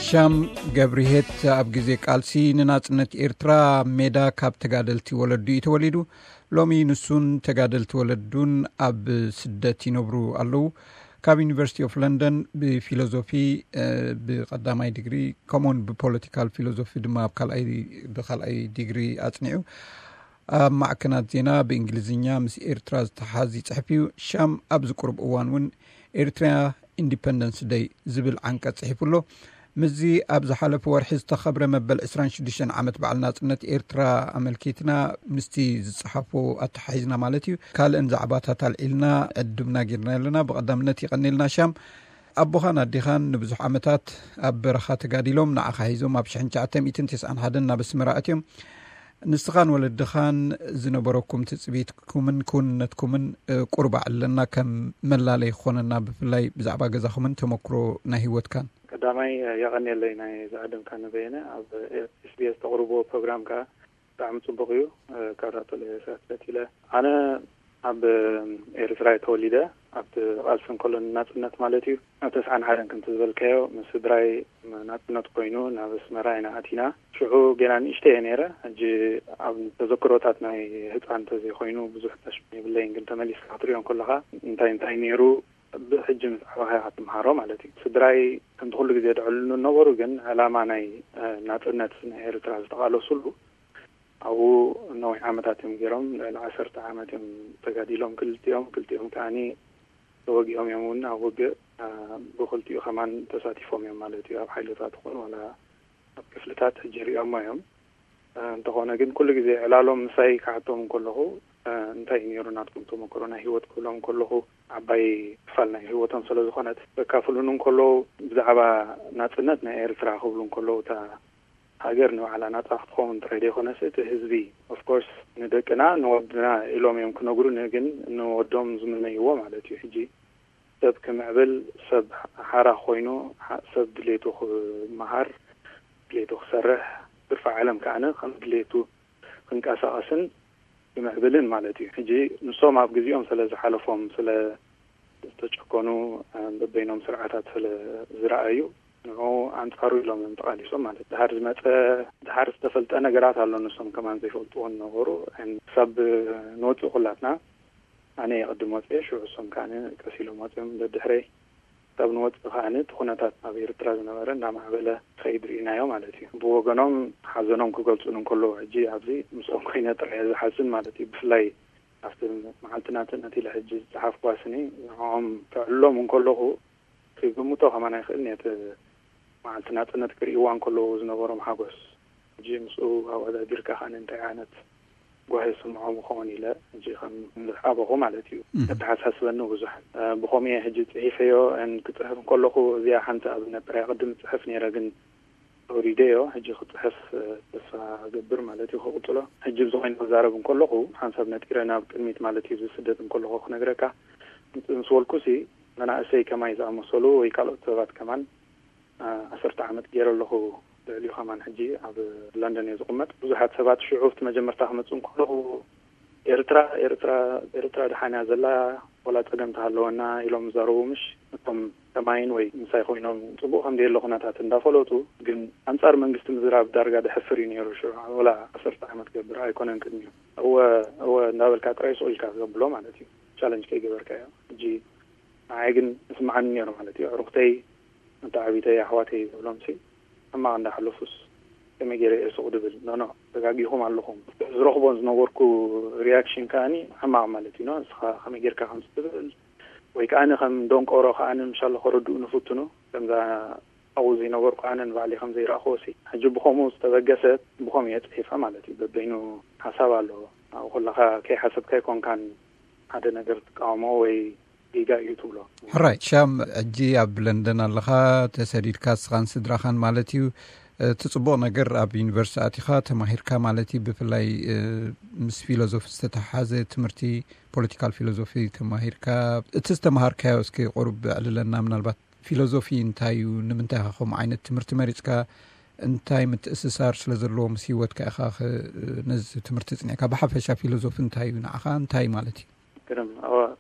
ሻም ገብርሄት ኣብ ግዜ ቃልሲ ንናጽነት ኤርትራ ሜዳ ካብ ተጋደልቲ ወለዱ እዩ ተወሊዱ። ሎሚ ንሱን ተጋደልቲ ወለዱን ኣብ ስደት ይነብሩ ኣለዉ። ካብ ዩኒቨርሲቲ ኦፍ ለንደን ብፊሎዞፊ ብቀዳማይ ዲግሪ፣ ከምኡውን ብፖለቲካል ፊሎዞፊ ድማ ኣብ ካልኣይ ብካልኣይ ዲግሪ ኣጽኒዑ። ኣብ ማዕከናት ዜና ብእንግሊዝኛ ምስ ኤርትራ ዝተሓዝ ይጽሕፍ እዩ። ሻም ኣብዚ ቁሩብ እዋን እውን ኤርትራ ኢንዲፐንደንስ ደይ ዝብል ዓንቀጽ ጽሒፉ ኣሎ። ምስዚ ኣብ ዝሓለፈ ወርሒ ዝተኸብረ መበል ዕስራን ሽዱሽተን ዓመት በዓል ናጽነት ኤርትራ ኣመልኪትና፣ ምስቲ ዝጸሓፎ ኣተሓሒዝና ማለት እዩ፣ ካልእን ዛዕባታት ኣልዒልና ዕድምና ጌርና ኣለና። ብቐዳምነት ይቐኒልና ሻም። ኣቦኻን ኣዴኻን ንብዙሕ ዓመታት ኣብ በረኻ ተጋዲሎም ንዓኻ ሒዞም ኣብ ሽሕን ትሽዓተ ሚእትን ተስዓን ሓደን ናብ ኣስመራ ኣትዮም። ንስኻን ወለድኻን ዝነበረኩም ትጽቢትኩምን ክውንነትኩምን ቁርባዕ ኣለና ከም መላለይ ክኾነና፣ ብፍላይ ብዛዕባ ገዛኹምን ተመክሮ ናይ ህይወትካን። ቀዳማይ የቐንየለይ ናይ ዝዓደምካ ነበየነ ኣብ SBS ተቕርቦ ፕሮግራም ከኣ ብጣዕሚ ጽቡቕ እዩ። ካብ ዳክተር ኢሳያስ ቀጺለ ኣነ ኣብ ኤርትራ እየ ተወሊደ። ኣብቲ ቃልሲ እንከሎ ንናጽነት ማለት እዩ። ኣብ ተስዓን ሓደን ከምቲ ዝበልካዮ ምስ ስድራይ ናጽነት ኮይኑ ናብ ኣስመራ ኢና ኣቲና። ሽዑ ገና ንእሽተይ እየ ነይረ። ሕጂ ኣብ ተዘክሮታት ናይ ህጻን እንተዘይኮይኑ ብዙሕ ተሽም የብለይን፣ ግን ተመሊስካ ክትሪኦ እንከለኻ እንታይ እንታይ ነይሩ ብሕጂ ምስ ዓበኻ ኢኻ ትምሃሮ ማለት እዩ። ስድራይ ከምቲ ኩሉ ግዜ ድዕልሉ ነበሩ፣ ግን ዕላማ ናይ ናጽነት ናይ ኤርትራ ዝተቓለሱሉ ኣብኡ ነዊሕ ዓመታት እዮም ገይሮም። ልዕሊ ዓሰርተ ዓመት እዮም ተጋዲሎም ክልቲኦም። ክልቲኦም ከዓኒ ተወጊኦም እዮም እውን ኣብ ውግእ ብክልቲኡ ከማን ተሳቲፎም እዮም ማለት እዩ። ኣብ ሓይልታት ይኹን ዋላ ኣብ ክፍልታት ሕጂ ሪኦሞ እዮም። እንተኾነ ግን ኩሉ ግዜ ዕላሎም ምሳይ ክሓቶም እንከለኹ እንታይ እዩ ነይሩ ናትኩም ተመክሮ ናይ ህይወት ክብሎም እንከለኹ ዓባይ ክፋል ናይ ህይወቶም ስለ ዝኾነት ዘካፍሉን እንከለዉ ብዛዕባ ናጽነት ናይ ኤርትራ ክብሉ እንከለዉ እታ ሃገር ንባዕላ ናጻ ክትኸውን ጥራይ ዘይኮነስ እቲ ህዝቢ ኦፍኮርስ ንደቅና ንወድና ኢሎም እዮም ክነግሩኒ፣ ግን ንወዶም ዝምነይዎ ማለት እዩ። ሕጂ ሰብ ክምዕብል ሰብ ሓራ ኮይኑ ሰብ ድሌቱ ክመሃር ድሌቱ ክሰርሕ ትርፊ ዓለም ከዓነ ከም ድሌቱ ክንቀሳቐስን ክምዕብልን ማለት እዩ። ሕጂ ንሶም ኣብ ግዜኦም ስለ ዝሓለፎም ስለ ዝተጨኮኑ በበይኖም ስርዓታት ስለ ዝረኣዩ ንዑ ኣንጻሩ ኢሎም እዮም ተቓሊሶም ማለት እዩ። ድሓር ዝመጸ ድሓር ዝተፈልጠ ነገራት ኣሎ ንሶም ከማን ዘይፈልጥዎ ነበሩ። ክሳብ ንወጽእ ኩላትና ኣነ የቐድም ወጽኤ ሽዑ እሶም ከዓነ ቀስ ኢሎም ወጽኦም ደድሕረይ ካብ ንወጽእ ከዓኒ እቲ ኩነታት ኣብ ኤርትራ ዝነበረ እንዳማዕበለ ኸይድ ርኢናዮ ማለት እዩ። ብወገኖም ሓዘኖም ክገልጹን እንከለዉ ሕጂ ኣብዚ ምስኦም ኮይነ ጥራየ ዝሓዝን ማለት እዩ። ብፍላይ ኣብቲ መዓልቲ ናጽነት ኢለ ሕጂ ዝጸሓፍኩዋ ስኒ ንዕኦም ከዕልሎም እንከለኹ ክግምቶ ከማን ኣይክእልን እየ። እቲ መዓልቲ ናጽነት ክርእይዋ እንከለዉ ዝነበሮም ሓጎስ ሕጂ ምስኡ ኣወዳዲርካ ከዓኒ እንታይ ዓይነት ጓሂ ይስምዖም ይኸውን ኢለ ሕጂ ከም ዝሓበኹ ማለት እዩ። እተሓሳስበኒ ብዙሕ ብኸምኡ እየ ሕጂ ጽሒፈዮ። ክጽሕፍ እንከለኹ እዚኣ ሓንቲ ኣብነት ጥራይ ቅድም ጽሕፍ ነይረ ግን ኣውሪደዮ ሕጂ ክጽሕፍ ተስፋ ገብር ማለት እዩ። ክቕጽሎ ሕጂ ብዝኾይነ ክዛረብ እንከለኹ ሓንሳብ ነጢረ ናብ ቅድሚት ማለት እዩ። ዝስደት እንከለኹ ክነግረካ ምስ በልኩሲ መናእሰይ ከማይ ዝኣመሰሉ ወይ ካልኦት ሰባት ከማን ዓሰርተ ዓመት ገይረ ኣለኹ። ልዕሊኡ ከማን ሕጂ ኣብ ለንደን እየ ዝቕመጥ። ብዙሓት ሰባት ሽዑ ኣብቲ መጀመርታ ክመጽእ እንከለኹ ኤርትራ ኤርትራ ኤርትራ ደሓን እያ ዘላ፣ ወላ ጸገም ተሃለወና ኢሎም ዝዛረቡ ምሽ እቶም ከማይን ወይ ምሳይ ኮይኖም ጽቡቕ ከም ዘየለ ኩነታት እንዳፈለጡ ግን ኣንጻር መንግስቲ ምዝራብ ዳርጋ ደሕፍር እዩ ነይሩ። ሽዑ ወላ ዓሰርተ ዓመት ገብር ኣይኮነን ቅድሚኡ እወ እወ እንዳበልካ ጥራይ ስቕ ኢልካ ዘብሎ ማለት እዩ። ቻለንጅ ከይገበርካዮ ሕጂ ንዓይ ግን እስምዓኒ ነይሩ ማለት እዩ። ኣዕሩኽተይ ኣንታ ዓቢተይ ኣሕዋተይ ዝብሎም ሲ ሕማቕ እንዳሕለፉስ ከመይ ገይረ እየ ሱቕ ድብል ኖኖ ተጋጊኹም ኣለኹም። ዝረኽቦን ዝነበርኩ ሪያክሽን ከኣኒ ሕማቕ ማለት እዩ። ንስኻ ከመይ ጌርካ ከምዚ ትብል ወይ ከኣኒ ከም ደንቆሮ ከኣኒ ምሻሎ ከረድኡ ንፍትኑ ከምዛ ኣብኡ ዘይነበርኩ ኣነ ንባዕለይ ከም ዘይረኣኽዎ ሲ ሕጂ ብኸምኡ ዝተበገሰት ብኸምኡ እየ ጽሒፋ ማለት እዩ። በበይኑ ሓሳብ ኣለዎ። ኣብ ኩላኻ ከይሓሰብካ ኣይኮንካን ሓደ ነገር ትቃወሞ ወይ ጌጋ እዩ ትብሎ። ሕራይ ሻም፣ ሕጂ ኣብ ለንደን ኣለኻ ተሰዲድካ እስኻን ስድራኻን ማለት እዩ። እቲ ጽቡቕ ነገር ኣብ ዩኒቨርሲቲ ኣቲኻ ተማሂርካ ማለት እዩ። ብፍላይ ምስ ፊሎዞፊ ዝተተሓሓዘ ትምህርቲ ፖለቲካል ፊሎዞፊ ተማሂርካ እቲ ዝተምሃርካዮ እስኪ ቁሩብ ዕልለና። ምናልባት ፊሎዞፊ እንታይ እዩ? ንምንታይ ኢኻ ከምኡ ዓይነት ትምህርቲ መሪጽካ? እንታይ ምትእስሳር ስለ ዘለዎ ምስ ህይወትካ ኢኻ ነዚ ትምህርቲ ጽኒዕካ? ብሓፈሻ ፊሎዞፊ እንታይ እዩ ንዓኻ? እንታይ ማለት እዩ? ግርም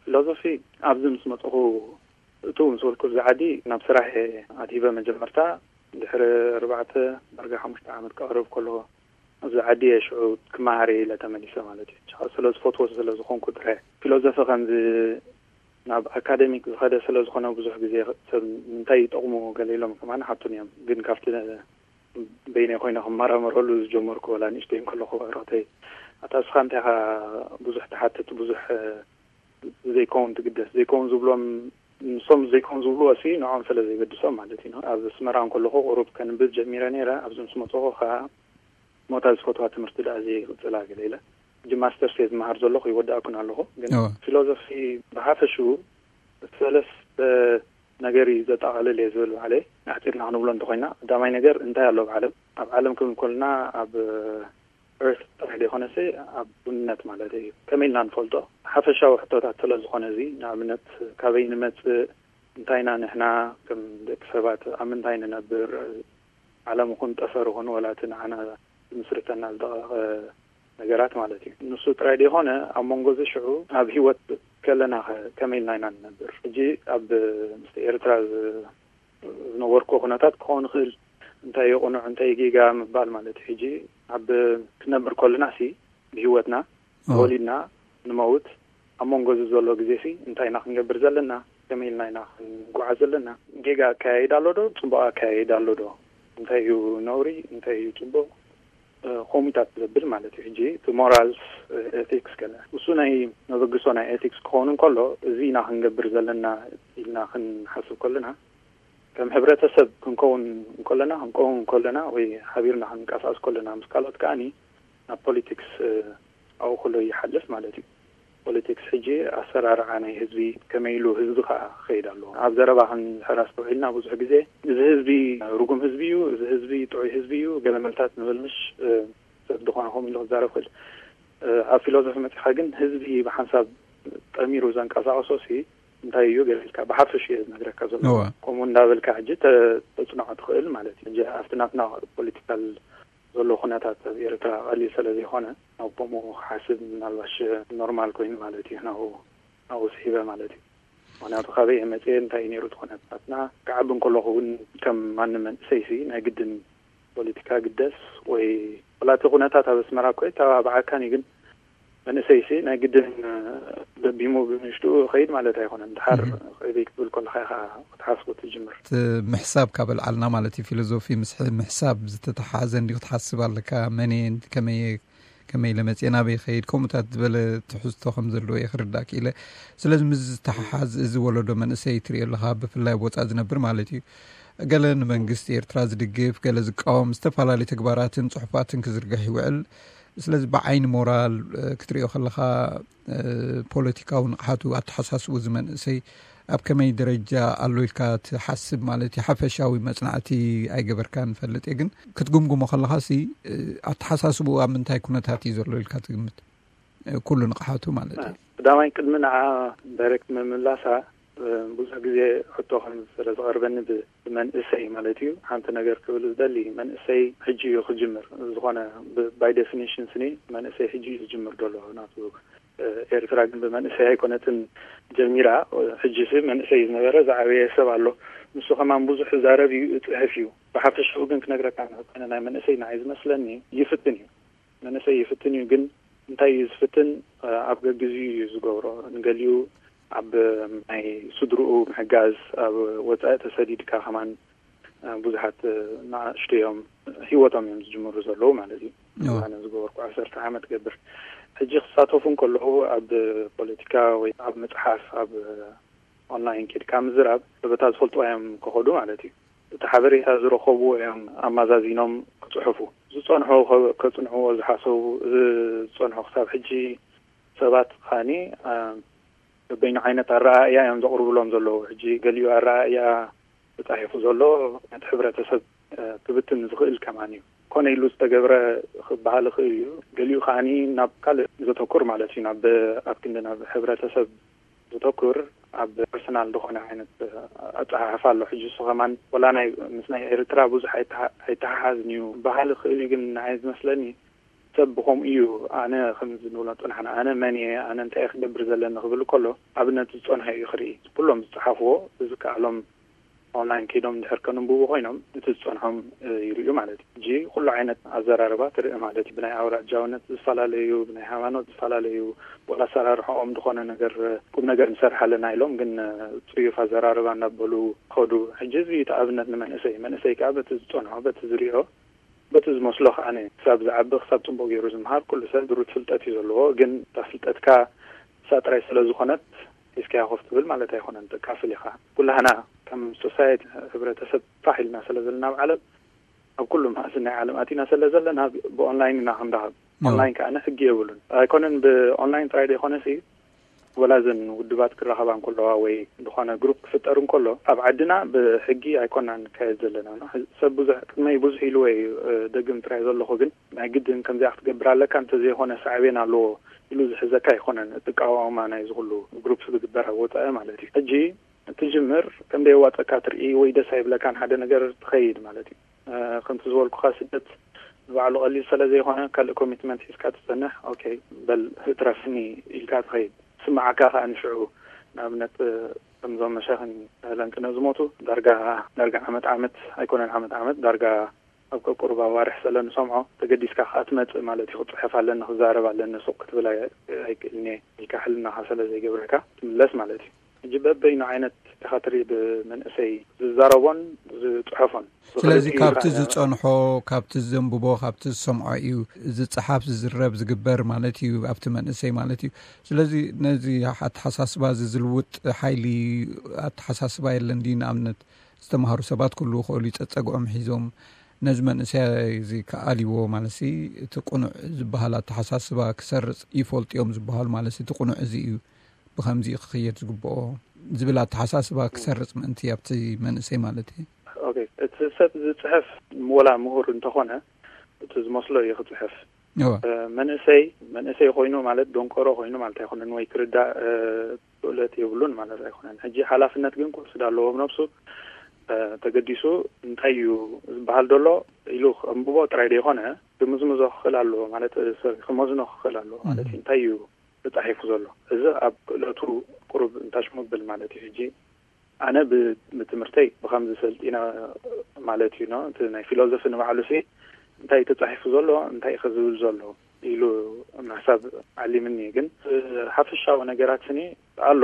ፊሎዞፊ ኣብዚ ምስ መጽኹ እቱ ምስ በልኩ እዚ ዓዲ ናብ ስራሕ ኣድሂበ መጀመርታ ድሕሪ ኣርባዕተ ዳርጋ ሓሙሽተ ዓመት ክቐርብ ከሎ ኣብዚ ዓዲ እየ ሽዑ ክመሃር እየ ኢለ ተመሊሰ ማለት እዩ። ሽዑ ስለ ዝፈትዎ ስለ ዝኾንኩ ጥራይ። ፊሎዞፊ ከምዚ ናብ ኣካደሚክ ዝኸደ ስለ ዝኾነ ብዙሕ ግዜ ሰብ እንታይ ይጠቕሙ ገለ ኢሎም ከማን ሓቱን እዮም። ግን ካብቲ በይነይ ኮይነ ክመራመረሉ ዝጀመርኩ ወላ ንእሽተይ እንከለኹ ብዕረቕተይ ኣታ እስኻ እንታይ ኢኻ ብዙሕ ትሓትት ብዙሕ ዘይከውን ትግደስ ዘይከውን ዝብሎም ንሶም ዘይከውን ዝብልዎ ሲ ንዖም ስለ ዘይገድሶም ማለት እዩ። ኣብ ኣስመራ እንከለኹ ቁሩብ ከንብብ ጀሚረ ነይረ። ኣብዚ ምስ መፀኹ ከዓ ሞታ ዝፈትዋ ትምህርቲ ደኣ ዘይቅፅላ ገለ ኢለ ሕጂ ማስተርስ እየ ዝመሃር ዘለኹ ይወዳእኩን ኣለኹ። ግን እወ። ፊሎዞፊ ብሓፈሽኡ ሰለስተ ነገር እዩ ዘጠቓልል እየ ዝብል ባዕለይ። ኣሕፂርና ክንብሎ እንተኮይና ቀዳማይ ነገር እንታይ ኣሎ ኣብ ዓለም? ኣብ ዓለም ክብል ከለና ኣብ ኤርት ጥራሕ ዘይኮነሲ ኣብ ውንነት ማለት እዩ። ከመይ ኢልና ንፈልጦ? ሓፈሻዊ ሕቶታት ስለ ዝኾነ እዚ ንኣብነት ካበይ ንመጽእ፣ እንታይ ኢና ንሕና ከም ደቂ ሰባት፣ ኣብ ምንታይ ንነብር፣ ዓለም ይኹን ጠፈር ይኹን ወላ እቲ ንዓና ዝምስርተና ዝደቐቐ ነገራት ማለት እዩ። ንሱ ጥራይ ዘይኮነ ኣብ መንጎ እዚ ሽዑ ኣብ ህይወት ከለና ከ ከመይ ኢልና ኢና ንነብር? ሕጂ ኣብ ምስቲ ኤርትራ ዝ- ዝነበርኩ ኩነታት ክኸውን ይኽእል እንታይ እዩ ቅኑዕ እንታይ እዩ ጌጋ ምባል ማለት እዩ። ሕጂ ኣብ ክንነብር ከለና ሲ ብህይወትና ተወሊድና ንመውት ኣብ መንጎ እዚ ዘሎ ግዜ ሲ እንታይ ኢና ክንገብር ዘለና? ከመይ ኢልና ኢና ክንጓዓዝ ዘለና? ጌጋ ኣካያይዳ ኣሎ ዶ? ጽቡቕ ኣካያይዳ ኣሎ ዶ? እንታይ እዩ ነውሪ? እንታይ እዩ ጽቡቕ? ኮሚታት ዘብል ማለት እዩ። ሕጂ እቲ ሞራልስ ኤቲክስ ገለ እሱ ናይ መበግሶ ናይ ኤቲክስ ክኸውን እንከሎ እዚ ኢና ክንገብር ዘለና ኢልና ክንሓስብ ከለና ከም ሕብረተሰብ ክንከውን እንከለና ክንከውን እንከለና ወይ ሓቢርና ክንንቀሳቀስ ከለና ምስ ካልኦት ከዓኒ ናብ ፖለቲክስ ኣብኡ ከሎ ይሓልፍ ማለት እዩ። ፖለቲክስ ሕጂ ኣሰራርዓ ናይ ህዝቢ ከመይ ኢሉ ህዝቢ ከዓ ክኸይድ ኣለዎ። ኣብ ዘረባ ክንድሕር ኣስተውዒልና ብዙሕ ግዜ እዚ ህዝቢ ርጉም ህዝቢ እዩ፣ እዚ ህዝቢ ጥዑይ ህዝቢ እዩ፣ ገለ መልታት ንብል ምሽ ሰብ ዝኾነ ከምኡ ኢሉ ክዛረብ ክእል። ኣብ ፊሎዞፊ መፂኻ ግን ህዝቢ ብሓንሳብ ጠሚሩ ዘንቀሳቀሶ ሲ እንታይ እዩ ገለ ኢልካ ብሓፈሽ እየ ዝነግረካ ዘሎ። ከምኡ እንዳበልካ ሕጂ ተፅንዖ ትኽእል ማለት እዩ። ኣብቲ ናትና ፖለቲካል ዘሎ ኩነታት ኣብ ኤርትራ ቀሊል ስለ ዘይኮነ ናብ ከምኡ ክሓስብ ምናልባሽ ኖርማል ኮይኑ ማለት እዩ ናብኡ ናብኡ ስሒበ ማለት እዩ። ምክንያቱ ካበይ እየ መፅየ እንታይ እዩ ነይሩ እቲ ኩነታትና ክዓቢ እንከለኹ እውን ከም ማንም መንእሰይሲ ናይ ግድን ፖለቲካ ግደስ ወይ ወላ እቲ ኩነታት ኣብ ኣስመራ እኮ ይተባብዓካን እዩ ግን መንእሰይሲ ናይ ግድን ደቢሙ ብምሽጡ ከይድ ማለት ኣይኮነን። ድሓር ከይበይ ክትብል ከለካ ኢኻ ክትሓስቡ ትጅምር። እቲ ምሕሳብ ካብ ኣልዓልና ማለት እዩ ፊሎዞፊ ምስ ምሕሳብ ዝተተሓሓዘ እንዲ ክትሓስብ ኣለካ መን እየ ከመይ ከመይ ኢለ መፅየ ናበይ ከይድ ከምኡታት ዝበለ ትሕዝቶ ከም ዘለዎ እየ ክርዳእ ክኢለ። ስለዚ ምስ ዝተሓሓዝ እዚ ወለዶ መንእሰይ ትሪኦ ኣለካ ብፍላይ ኣብ ወፃእ ዝነብር ማለት እዩ። ገለ ንመንግስቲ ኤርትራ ዝድግፍ ገለ ዝቃወም ዝተፈላለዩ ተግባራትን ፅሑፋትን ክዝርግሕ ይውዕል። ስለዚ ብዓይኒ ሞራል ክትሪኦ ከለካ ፖለቲካዊ ንቕሓቱ ኣተሓሳስቡ እዚ መንእሰይ ኣብ ከመይ ደረጃ ኣሎ ኢልካ ትሓስብ ማለት እዩ ሓፈሻዊ መፅናዕቲ ኣይገበርካ ንፈልጥ እየ ግን ክትግምግሞ ከለካ ሲ ኣተሓሳስቡ ኣብ ምንታይ ኩነታት እዩ ዘሎ ኢልካ ትግምት ኩሉ ንቕሓቱ ማለት እዩ ቀዳማይ ቅድሚ ንዓ ዳይሬክት ምምላሳ ብዙሕ ግዜ ሕቶ ከም ስለ ዝቐርበኒ ብመንእሰይ ማለት እዩ ሓንቲ ነገር ክብል ዝደሊ መንእሰይ ሕጂ እዩ ክጅምር ዝኾነ ባይ ዴፊኒሽን ስኒ መንእሰይ ሕጂ እዩ ዝጅምር ዘሎ ናቱ ኤርትራ ግን ብመንእሰይ ኣይኮነትን ጀሚራ ሕጂ ሲ መንእሰይ ዝነበረ ዝዓበየ ሰብ ኣሎ ንሱ ከማን ብዙሕ ዛረብ እዩ እፅሕፍ እዩ ብሓፈሻዊ ግን ክነግረካ ንክኮነ ናይ መንእሰይ ንዓይ ዝመስለኒ ይፍትን እዩ መንእሰይ ይፍትን እዩ ግን እንታይ እዩ ዝፍትን ኣብ ገግዚ እዩ ዝገብሮ ንገሊኡ ኣብ ናይ ስድርኡ ምሕጋዝ ኣብ ወፃኢ ተሰዲድካ ከማን ብዙሓት ንኣሽቱ እዮም ህይወቶም እዮም ዝጅምሩ ዘለዉ ማለት እዩ ኣነ ዝገበርኩ ዓሰርተ ዓመት ገብር ሕጂ ክሳተፉ እንከለዉ ኣብ ፖለቲካ ወይ ኣብ መፅሓፍ ኣብ ኦንላይን ኬድካ ምዝራብ በታ ዝፈልጥዋ እዮም ክኸዱ ማለት እዩ እቲ ሓበሬታ ዝረኸቡ እዮም ኣማዛዚኖም ክፅሑፉ ዝፀንሑ ከፅንዕዎ ዝሓሰቡ እዚ ዝፀንሑ ክሳብ ሕጂ ሰባት ካኒ በበይኑ ዓይነት ኣረኣእያ እዮም ዘቕርብሎም ዘለዉ ሕጂ ገሊኡ ኣረኣእያ ተፃሒፉ ዘሎ ነቲ ሕብረተሰብ ክብትን ዝኽእል ከማን እዩ ኮነ ኢሉ ዝተገብረ ክበሃል ይኽእል እዩ ገሊኡ ከዓኒ ናብ ካልእ ዘተኩር ማለት እዩ ናብ ኣብ ክንዲ ናብ ሕብረተሰብ ዘተኩር ኣብ ፐርሰናል ዝኾነ ዓይነት ኣፀሓሕፋ ኣሎ ሕጂ እሱ ከማን ወላ ናይ ምስ ናይ ኤርትራ ብዙሕ ኣይተሓሓዝን እዩ በሃል ይኽእል እዩ ግን ንዓይ ዝመስለኒ ሰብ ብኸምኡ እዩ ኣነ ከምዚ ንብሎ ፀናሕና ኣነ መን እየ ኣነ እንታይ ክገብር ዘለኒ ክብል ከሎ ኣብነት ዝፀንሖ እዩ ክርኢ ኩሎም ዝፀሓፍዎ ዝከኣሎም ኦንላይን ከይዶም እንድሕር ከንብቡ ኮይኖም፣ እቲ ዝጸንሖም ይርእዩ ማለት እዩ። ሕጂ ኩሉ ዓይነት ኣዘራርባ ትርኢ ማለት እዩ። ብናይ ኣውራጃውነት ዝፈላለዩ፣ ብናይ ሃይማኖት ዝፈላለዩ፣ ወላ ኣሰራርሖኦም ዝኾነ ነገር፣ ቁም ነገር ንሰርሕ ኣለና ኢሎም ግን ጽዩፍ ኣዘራርባ እናበሉ ከዱ። ሕጂ እዚ እቲ ኣብነት ንመንእሰይ፣ መንእሰይ ከዓ በቲ ዝጸንሖ፣ በቲ ዝሪኦ፣ በቲ ዝመስሎ ከዓኒ ክሳብ ዝዓቢ፣ ክሳብ ጽቡቕ ገይሩ ዝምሃር፣ ኩሉ ሰብ ድሩት ፍልጠት እዩ ዘለዎ። ግን እታ ፍልጠትካ ንሳ ጥራይ ስለ ዝኾነት ሒዝካያ ኮፍ ትብል ማለት ኣይኮነን፣ ተካፍል ኢኻ። ኩላህና ከም ሶሳይቲ፣ ሕብረተሰብ ፋሕ ኢልና ስለ ዘለና ኣብ ዓለም፣ ኣብ ኩሉ ማእዝን ናይ ዓለም ኣቲና ስለ ዘለና ብኦንላይን ኢና ክንራኸብ። ኦንላይን ከዓኒ ሕጊ የብሉን። ኣይኮነን ብኦንላይን ጥራይ ዘይኮነሲ፣ ወላ እዘን ውድባት ክራኸባ እንከለዋ ወይ ዝኾነ ግሩፕ ክፍጠር እንከሎ፣ ኣብ ዓድና ብሕጊ ኣይኮናን ንካየድ ዘለና። ሰብ ብዙሕ ቅድመይ ብዙሕ ኢሉ ወይ፣ እ፣ ደግም ጥራይ ዘለኹ ግን ናይ ግድን ከምዚኣ ክትገብር ኣለካ እንተዘይኮነ ሳዕቤን ኣለዎ ኢሉ ዝሕዘካ ኣይኮነን። እቲ ኣቃውማ ናይዚ ኩሉ ግሩፕ ዝግበር ኣብ ወጻኢ ማለት እዩ። ሕጂ ትጅምር ከም ደየዋጸካ ትርኢ ወይ ደስ ኣይብለካን ሓደ ነገር ትኸይድ ማለት እዩ። እ፣ ከምቲ ዝበልኩኻ ስደት ንባዕሉ ቀሊል ስለ ዘይኮነ ካልእ ኮሚትመንት ሒዝካ ትጸንሕ፣ ኦኬ በል እትረፍኒ ኢልካ ትኸይድ። ስምዓካ ከኣ ንሽዑ ንኣብነት፣ እ፣ ከምዞም መሻኽን ለንቅነ ዝሞቱ ዳርጋ፣ ዳርጋ ዓመት ዓመት ኣይኮነን፣ ዓመት ዓመት ዳርጋ ኣብ ቀቁሩብ ኣዋርሕ ስለ ንሰምዖ ተገዲስካ ከኣ ትመጽእ ማለት እዩ። ክጽሕፍ ኣለኒ፣ ክዛረብ ኣለኒ፣ ሱቕ ክትብል ኣይ-፣ ኣይክእልን እየ ኢልካ ሕልናኻ ስለ ዘይገብረካ ትምለስ ማለት እዩ። ሕጂ በበይኑ ዓይነት ኢኻ ትርኢ ብመንእሰይ ዝዛረቦን ዝጽሕፎን። ስለዚ ብኽልቲኡ ካብቲ ኢኻ ዝጸንሖ፣ ካብቲ ዘንብቦ፣ ካብቲ ዝሰምዖ እዩ ዝጸሓፍ፣ ዝዝረብ፣ ዝግበር ማለት እዩ ኣብቲ መንእሰይ ማለት እዩ። ስለዚ ነዚ ኣተሓሳስባ እዚ ዝልውጥ ሓይሊ ኣተሓሳስባ የለን ድዩ? ንኣብነት ዝተምሃሩ ሰባት ክህልዉ ይኽእሉ እዩ፣ ጸጸግዖም ሒዞም ነዚ መንእሰይ እዚ ክኣልይዎ ማለት ሲ እቲ ቅኑዕ ዝበሃል ኣተሓሳስባ ክሰርጽ ይፈልጡ እዮም ዝበሃሉ ማለት ሲ እቲ ቅኑዕ እዚ እዩ፣ ብኸምዚ ክኽየድ ዝግብኦ ዝብል ኣተሓሳስባ ክሰርጽ ምእንቲ ኣብቲ መንእሰይ ማለት እዩ። ኦኬ፣ እቲ ሰብ ዝጽሕፍ ወላ ምሁር እንተኾነ እቲ ዝመስሎ እዩ ክጽሕፍ። እወ። እ፣ መንእሰይ፣ መንእሰይ ኮይኑ ማለት ደንቆሮ ኮይኑ ማለት ኣይኮነን ወይ ክርዳእ፣ እ፣ ክእለት የብሉን ማለት ኣይኮነን። ሕጂ ሓላፍነት ግን ክወስድ ኣለዎ ብነብሱ። እ፣ ተገዲሱ እንታይ እዩ ዝበሃል ዘሎ ኢሉ ከንብቦ ጥራይ ዘይኮነ ክምዝምዞ ክኽእል ኣለዎ ማለት፣ እ፣ ሰብ ክመዝኖ ክኽእል ኣለዎ ማለት እዩ። እንታይ እዩ ተጻሒፉ ዘሎ? እዚ ኣብ ክእለቱ ቁሩብ እንታሽ ምብል ማለት እዩ። ሕጂ ኣነ ብ-፣ ብትምህርተይ ብኸምዚ ሰልጢነ ማለት እዩ፣ ኖ? እቲ ናይ ፊሎዞፊ ንባዕሉ ሲ እንታይ ተጻሒፉ ዘሎ፣ እንታይ ከ ዝብል ዘሎ ኢሉ ምሕሳብ ዓሊምኒ። ግን ሓፈሻዊ ነገራት ስኒ ኣሎ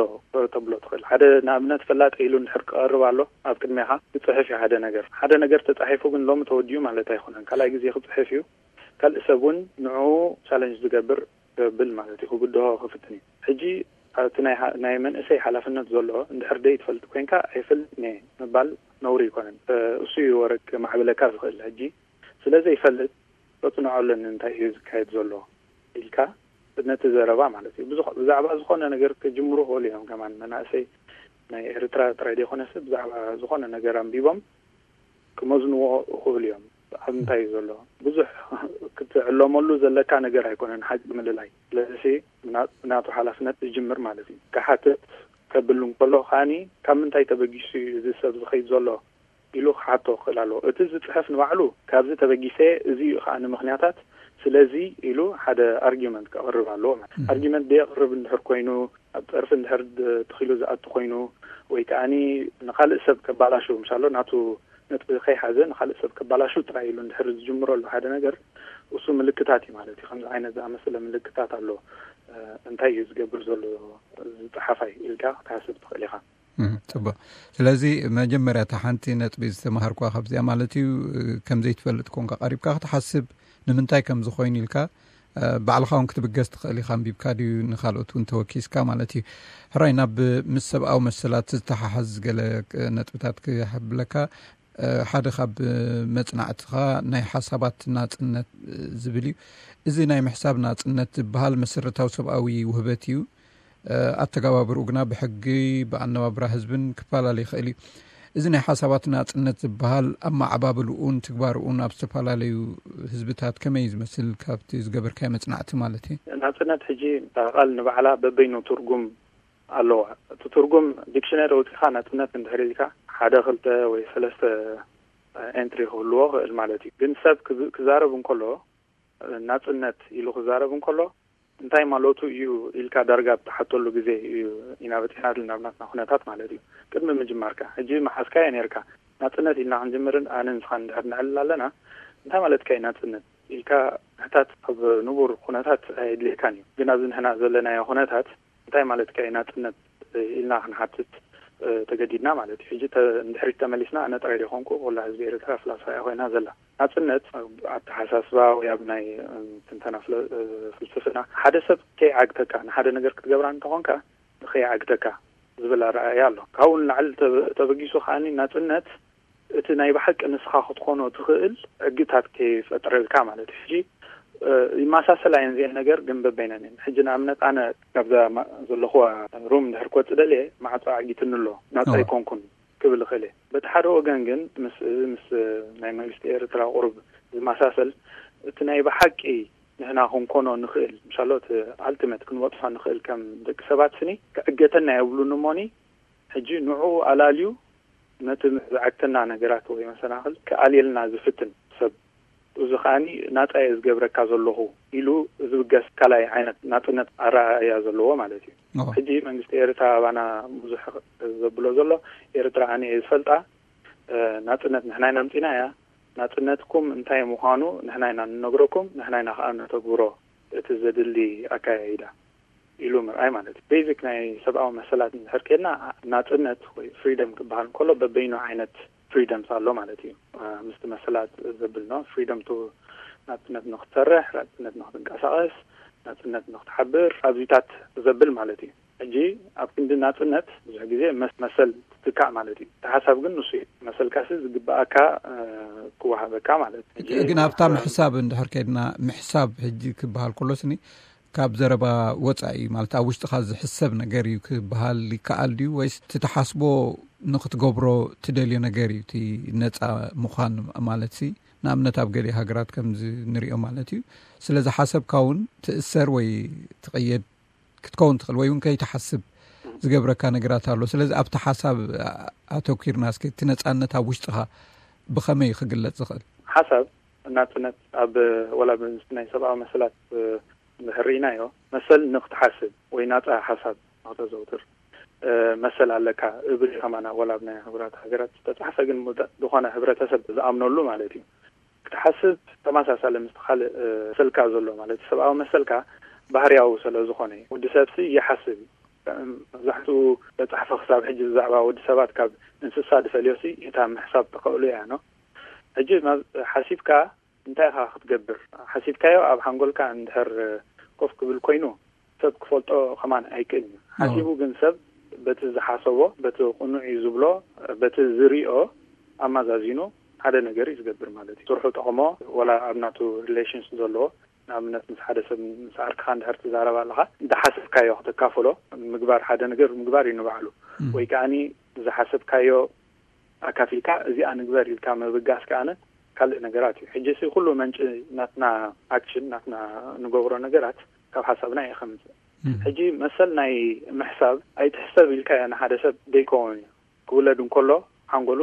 ተብሎ ትኽእል። ሓደ ንኣብነት ፈላጠ ኢሉ እንድሕር ክቐርብ ኣሎ ኣብ ቅድሜኻ ክጽሕፍ እዩ ሓደ ነገር። ሓደ ነገር ተጻሒፉ ግን ሎሚ ተወዲኡ ማለት ኣይኮነን። ካልኣይ ግዜ ክጽሕፍ እዩ። ካልእ ሰብ እውን ንዕኡ ቻለንጅ ዝገብር ከብል ማለት እዩ፣ ክብድሆ ክፍትን እዩ። ሕጂ እቲ ናይ ሓ-፣ ናይ መንእሰይ ሓላፍነት ዘሎ እንድሕር ደይ ትፈልጥ ኮይንካ ኣይፈልጥን እየ ምባል ነውሪ ኣይኮነን። እ፣ እሱ እዩ ወረ ከማዕብለካ ዝኽእል። ሕጂ ስለ ዘይፈልጥ ከጽንዖ ኣለኒ እንታይ እዩ ዝካየድ ዘሎ ኢልካ ነቲ ዘረባ ማለት እዩ። ብዙ-፣ ብዛዕባ ዝኾነ ነገር ክጅምሩ ክኽእሉ እዮም። ከማን መናእሰይ ናይ ኤርትራ ጥራይ ዘይኮነስ ብዛዕባ ዝኾነ ነገር ኣንቢቦም ክመዝንዎ ይኽእሉ እዮም። ኣብ እንታይ እዩ ዘሎ? ብዙሕ ክትዕለመሉ ዘለካ ነገር ኣይኮነን ሓቂ ምልላይ። ስለዚ ብና-፣ ብናቱ ሓላፍነት ዝጅምር ማለት እዩ። ክሓትት ከብል እንከሎ ከዓኒ ካብ ምንታይ ተበጊሱ እዩ እዚ ሰብ ዝኸይድ ዘሎ ኢሉ ክሓቶ ክኽእል ኣለዎ። እቲ ዝጽሕፍ ንባዕሉ ካብዚ ተበጊሰ እዚ እዩ ከዓኒ ምኽንያታት ስለዚ ኢሉ ሓደ ኣርጊመንት ከቕርብ ኣለዎ ማለት እዩ። ኣርጊመንት ደየቕርብ እንድሕር ኮይኑ፣ ኣብ ጸርፊ እንድሕር ድ-፣ ተኺሉ ዝኣቱ ኮይኑ፣ ወይ ከዓኒ ንኻልእ ሰብ ከባላሹ፣ ምሻሎ ናቱ ነጥቢ ከይሓዘ ንኻልእ ሰብ ከባላሹ ጥራይ ኢሉ እንድሕር ዝጅምረሉ ሓደ ነገር፣ እሱ ምልክታት እዩ ማለት እዩ። ከምዚ ዓይነት ዝኣመሰለ ምልክታት ኣሎ። እ፣ እንታይ እዩ ዝገብር ዘሎ እዚ ጸሓፋይ ኢልካ ክትሓስብ ትኽእል ኢኻ። እም፣ ጽቡቕ። ስለዚ መጀመርያ እታ ሓንቲ ነጥቢ ዝተማሃርኳ ካብዚኣ ማለት እዩ፣ እ፣ ከም ዘይትፈልጥ ኮንካ ቀሪብካ ክትሓስብ፣ ንምንታይ ከም ዝኾይኑ ኢልካ፣ እ፣ ባዕልኻ እውን ክትብገስ ትኽእል ኢኻ። ኣንቢብካ ድዩ ንኻልኦት እውን ተወኪስካ ማለት እዩ። ሕራይ ናብ ምስ ሰብኣዊ መሰላት ዝተሓሓዝ ገለ፣ እ፣ ነጥብታት ክሕብለካ፣ እ፣ ሓደ ካብ መጽናዕትኻ ናይ ሓሳባት ናጽነት፣ እ፣ ዝብል እዩ። እዚ ናይ ምሕሳብ ናጽነት ዝበሃል መሰረታዊ ሰብኣዊ ውህበት እዩ። እ፣ ኣተገባብርኡ ግና ብሕጊ፣ ብኣነባብራ ህዝብን ክፈላለ ይኽእል እዩ። እዚ ናይ ሓሳባት ናጽነት ዝበሃል ኣመዓባብልኡን ትግባርኡን ኣብ ዝተፈላለዩ ህዝብታት ከመይ እዩ ዝመስል? ካብቲ ዝገበርካዮ መጽናዕቲ ማለት እዩ። ናጽነት ሕጂ እታ ቃል ንባዕላ በበይኑ ትርጉም ኣለዋ። እቲ ትርጉም ዲክሽነሪ ኣውጺኻ ናጽነት እንድሕር ኢልካ ሓደ ክልተ ወይ ሰለስተ ኤንትሪ ክህልዎ ክእል ማለት እዩ። ግን ሰብ ክዝ-፣ ክዛረብ እንከሎ ናጽነት ኢሉ ክዛረብ እንከሎ እንታይ ማለቱ እዩ ኢልካ ዳርጋ ብትሓተሉ ግዜ እዩ ኢና በፂሕና ዘለና ኣብ ናትና ኩነታት ማለት እዩ። ቅድሚ ምጅማርካ ሕጂ መሓዝካዮ ነርካ ናፅነት ኢልና ክንጅምርን ኣነ ንስኻ እንድሕር ንዕልል ኣለና እንታይ ማለትካ እዩ ናፅነት ኢልካ ምሕታት ኣብ ንቡር ኩነታት ኣየድልየካን እዩ። ግን ኣብዚ ንሕና ዘለናዮ ኩነታት እንታይ ማለትካ እዩ ናፅነት ኢልና ክንሓትት ተገዲድና ማለት እዩ። ሕጂ እንድሕሪት ተመሊስና ኣነ ጥራይ ዶ ኮንኩ ኩላ ህዝቢ ኤርትራ ፍላስፋ እያ ኮይና ዘላ። ናፅነት ኣብ ኣተሓሳስባ ወይ ኣብ ናይ ትንተና ፍልስፍና ሓደ ሰብ ከይዓግተካ ንሓደ ነገር ክትገብራ እንተኾንካ ከይዓግተካ ዝብል ኣረኣእያ ኣሎ። ካብኡ ንላዕሊ ተበጊሱ ከዓኒ ናፅነት እቲ ናይ ብሓቂ ንስኻ ክትኾኖ ትኽእል ሕግታት ከይፈጥረልካ ማለት እዩ። ሕጂ ይመሳሰላ እየን እዚአን ነገር ግን በበይነን እየን። ሕጂ ንኣብነት ኣነ ካብዛ ዘለኹዋ ሩም እንድሕር ክወፅእ ደልየ ማዕፆ ዓጊትኒ ኣሎ ናፃ ኣይኮንኩን ክብል እኽእል እየ። በቲ ሓደ ወገን ግን ምስ እዚ ምስ ናይ መንግስቲ ኤርትራ ቁሩብ ዝመሳሰል እቲ ናይ ብሓቂ ንሕና ክንኮኖ ንኽእል ምሻሎ እቲ ኣልቲመት ክንበፅሖ ንኽእል ከም ደቂ ሰባት ስኒ ክዕገተና የብሉን እሞኒ ሕጂ ንዕኡ ኣላልዩ ነቲ ዝዓግተና ነገራት ወይ መሰናኽል ክኣልየልና ዝፍትን ሰብ እዚ ከዓኒ ናፃ እየ ዝገብረካ ዘለኹ ኢሉ ዝብገስ ካልኣይ ዓይነት ናፅነት ኣረኣእያ ዘለዎ ማለት እዩ። ሕጂ መንግስቲ ኤርትራ ኣባና ብዙሕ ዘብሎ ዘሎ ኤርትራ ኣነ እየ ዝፈልጣ ናፅነት ንሕና ኢና ኣምፂና እያ ናፅነትኩም እንታይ ምዃኑ ንሕና ኢና ንነግረኩም ንሕና ኢና ከዓ ነተግብሮ እቲ ዘድሊ ኣካያይዳ ኢሉ ምርኣይ ማለት እዩ። ቤዚክ ናይ ሰብኣዊ መሰላት እንድሕር ከድና ናፅነት ወይ ፍሪደም ክበሃል እንከሎ በበይኑ ዓይነት ፍሪደምስ ኣሎ ማለት እዩ። ምስቲ መሰላት ዘብል ኖ ፍሪደም ቱ ናፅነት ንክትሰርሕ ናፅነት ንክትንቀሳቀስ ናፅነት ንክትሓብር ኣብዚታት ዘብል ማለት እዩ። ሕጂ ኣብ ክንዲ ናፅነት ብዙሕ ግዜ መሰል ትትካእ ማለት እዩ። እቲ ሓሳብ ግን ንሱ እዩ። መሰልካሲ ዝግበኣካ ክወሃበካ ማለት እዩ። ግን ኣብታ ምሕሳብ እንድሕር ከድና ምሕሳብ ሕጂ ክበሃል ከሎ ስኒ ካብ ዘረባ ወፃኢ ማለት ኣብ ውሽጥኻ ዝሕሰብ ነገር እዩ ክበሃል ይከኣል ድዩ ወይስ እቲ ተሓስቦ ንክትገብሮ ትደልዮ ነገር እዩ እቲ ነፃ ምዃን ማለት ሲ ንኣብነት ኣብ ገሊእ ሃገራት ከምዚ ንሪኦ ማለት እዩ ስለ ዝሓሰብካ እውን ትእሰር ወይ ትቕየድ ክትከውን ትኽእል ወይ እውን ከይትሓስብ ዝገብረካ ነገራት ኣሎ ስለዚ ኣብቲ ሓሳብ ኣተኪርና እስኪ እቲ ነፃነት ኣብ ውሽጥኻ ብኸመይ ክግለፅ ዝኽእል ሓሳብ ናፅነት ኣብ ወላ ናይ ሰብኣዊ መሰላት እንድሕር ርኢናዮ መሰል ንክትሓስብ ወይ ናፃ ሓሳብ ንክተዘውትር መሰል ኣለካ እብል ከማና ወላ ኣብ ናይ ሕቡራት ሃገራት ዝተፃሕፈ ግን ዝኾነ ሕብረተሰብ ዝኣምነሉ ማለት እዩ ክትሓስብ ተመሳሳሊ ምስ ካልእ መሰልካ ዘሎ ማለት ሰብኣዊ መሰልካ ባህርያዊ ስለ ዝኾነ እዩ ወዲ ሰብሲ ይሓስብ እዩ መብዛሕትኡ ተፃሕፈ ክሳብ ሕጂ ብዛዕባ ወዲ ሰባት ካብ እንስሳ ዝፈልዮሲ እታ ምሕሳብ ተኸእሉ እያ ኖ ሕጂ ሓሲብካ እንታይ ኢኻ ክትገብር ሓሲብካዮ ኣብ ሓንጎልካ እንድሕር ኮፍ ክብል ኮይኑ ሰብ ክፈልጦ ከማን ኣይክእልን እዩ ሓሲቡ ግን ሰብ በቲ ዝሓሰቦ በቲ ቅኑዕ እዩ ዝብሎ በቲ ዝሪኦ ኣማዛዚኑ ሓደ ነገር እዩ ዝገብር ማለት እዩ ስርሑ ጠቕሞ ወላ ኣብ ናቱ ሪሌሽንስ ዘለዎ ንኣብነት ምስ ሓደ ሰብ ምስ ዓርክኻ እንድሕር ትዛረብ ኣለኻ እንዳሓሰብካዮ ክተካፍሎ ምግባር ሓደ ነገር ምግባር እዩ ንባዕሉ ወይ ከዓኒ ዝሓሰብካዮ ኣካፊልካ እዚኣ ንግበር ኢልካ ምብጋስ ከዓነ ካልእ ነገራት እዩ ሕጂ ሲ ኩሉ መንጭ ናትና ኣክሽን ናትና ንገብሮ ነገራት ካብ ሓሳብና እዩ ከምፅእ ሕጂ መሰል ናይ ምሕሳብ ኣይትሕሰብ ኢልካዮ ንሓደ ሰብ ደይከውን እዩ ክውለድ እንከሎ ሓንጎሉ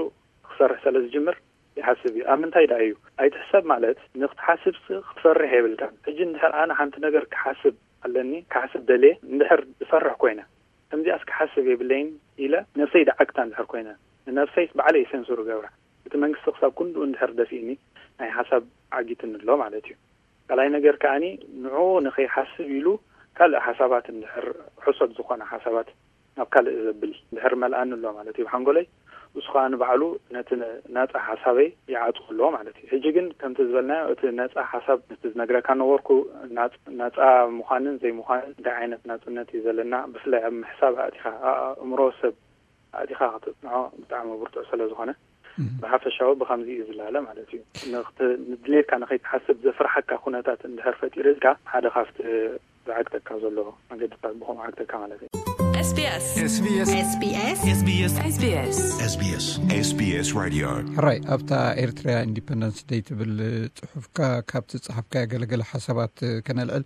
ክሰርሕ ስለ ዝጅምር ይሓስብ እዩ ኣብ ምንታይ ደኣ እዩ ኣይትሕሰብ ማለት ንክትሓስብ ክትፈርሕ የብልካን ሕጂ እንድሕር ኣነ ሓንቲ ነገር ክሓስብ ኣለኒ ክሓስብ ደልየ እንድሕር ዝፈርሕ ኮይነ ከምዚኣስ ክሓስብ የብለይን ኢለ ነብሰይ ደዓግታ እንድሕር ኮይነ ንነብሰይስ ባዕለይ ሰንሱር ገብራ እቲ መንግስቲ ክሳብ ክንድኡ እንድሕር ደፊእኒ ናይ ሓሳብ ዓጊትኒ ኣሎ ማለት እዩ ካልኣይ ነገር ከዓኒ ንዕኡ ንኸይሓስብ ኢሉ ካልእ ሓሳባት እንድሕር ሕሶት ዝኾነ ሓሳባት ናብ ካልእ ዘብል እንድሕር መልኣኒ ኣሎ ማለት እዩ ብሓንጎለይ እሱ ከዓ ንባዕሉ ነቲ ናፃ ሓሳበይ ይዓፅዎ ኣለዎ ማለት እዩ ሕጂ ግን ከምቲ ዝበልናዮ እቲ ነፃ ሓሳብ ነቲ ዝነግረካ ነበርኩ ናፃ ምዃንን ዘይምዃንን እንታይ ዓይነት ናፅነት እዩ ዘለና ብፍላይ ኣብ ምሕሳብ ኣእቲኻ ኣእምሮ ሰብ ኣእቲኻ ከተፅንዖ ብጣዕሚ ብርቱዕ ስለ ዝኾነ ብሓፈሻዊ ብከምዚ እዩ ዝላለ ማለት እዩ ንድሌትካ ንኸይትሓስብ ዘፍርሓካ ኩነታት እንድሕር ፈጢርልካ ሓደ ካብቲ ዝዓግተካ ዘሎ መገድታት ብኸምኡ ዓግተካ ማለት እዩ። SBS SBS SBS SBS SBS SBS SBS Radio ሕራይ ኣብታ ኤርትራያ ኢንዲፐንደንስ ደይ ትብል ጽሑፍካ ካብ ትጽሓፍካያ ገለገለ ሓሳባት ከነልዕል።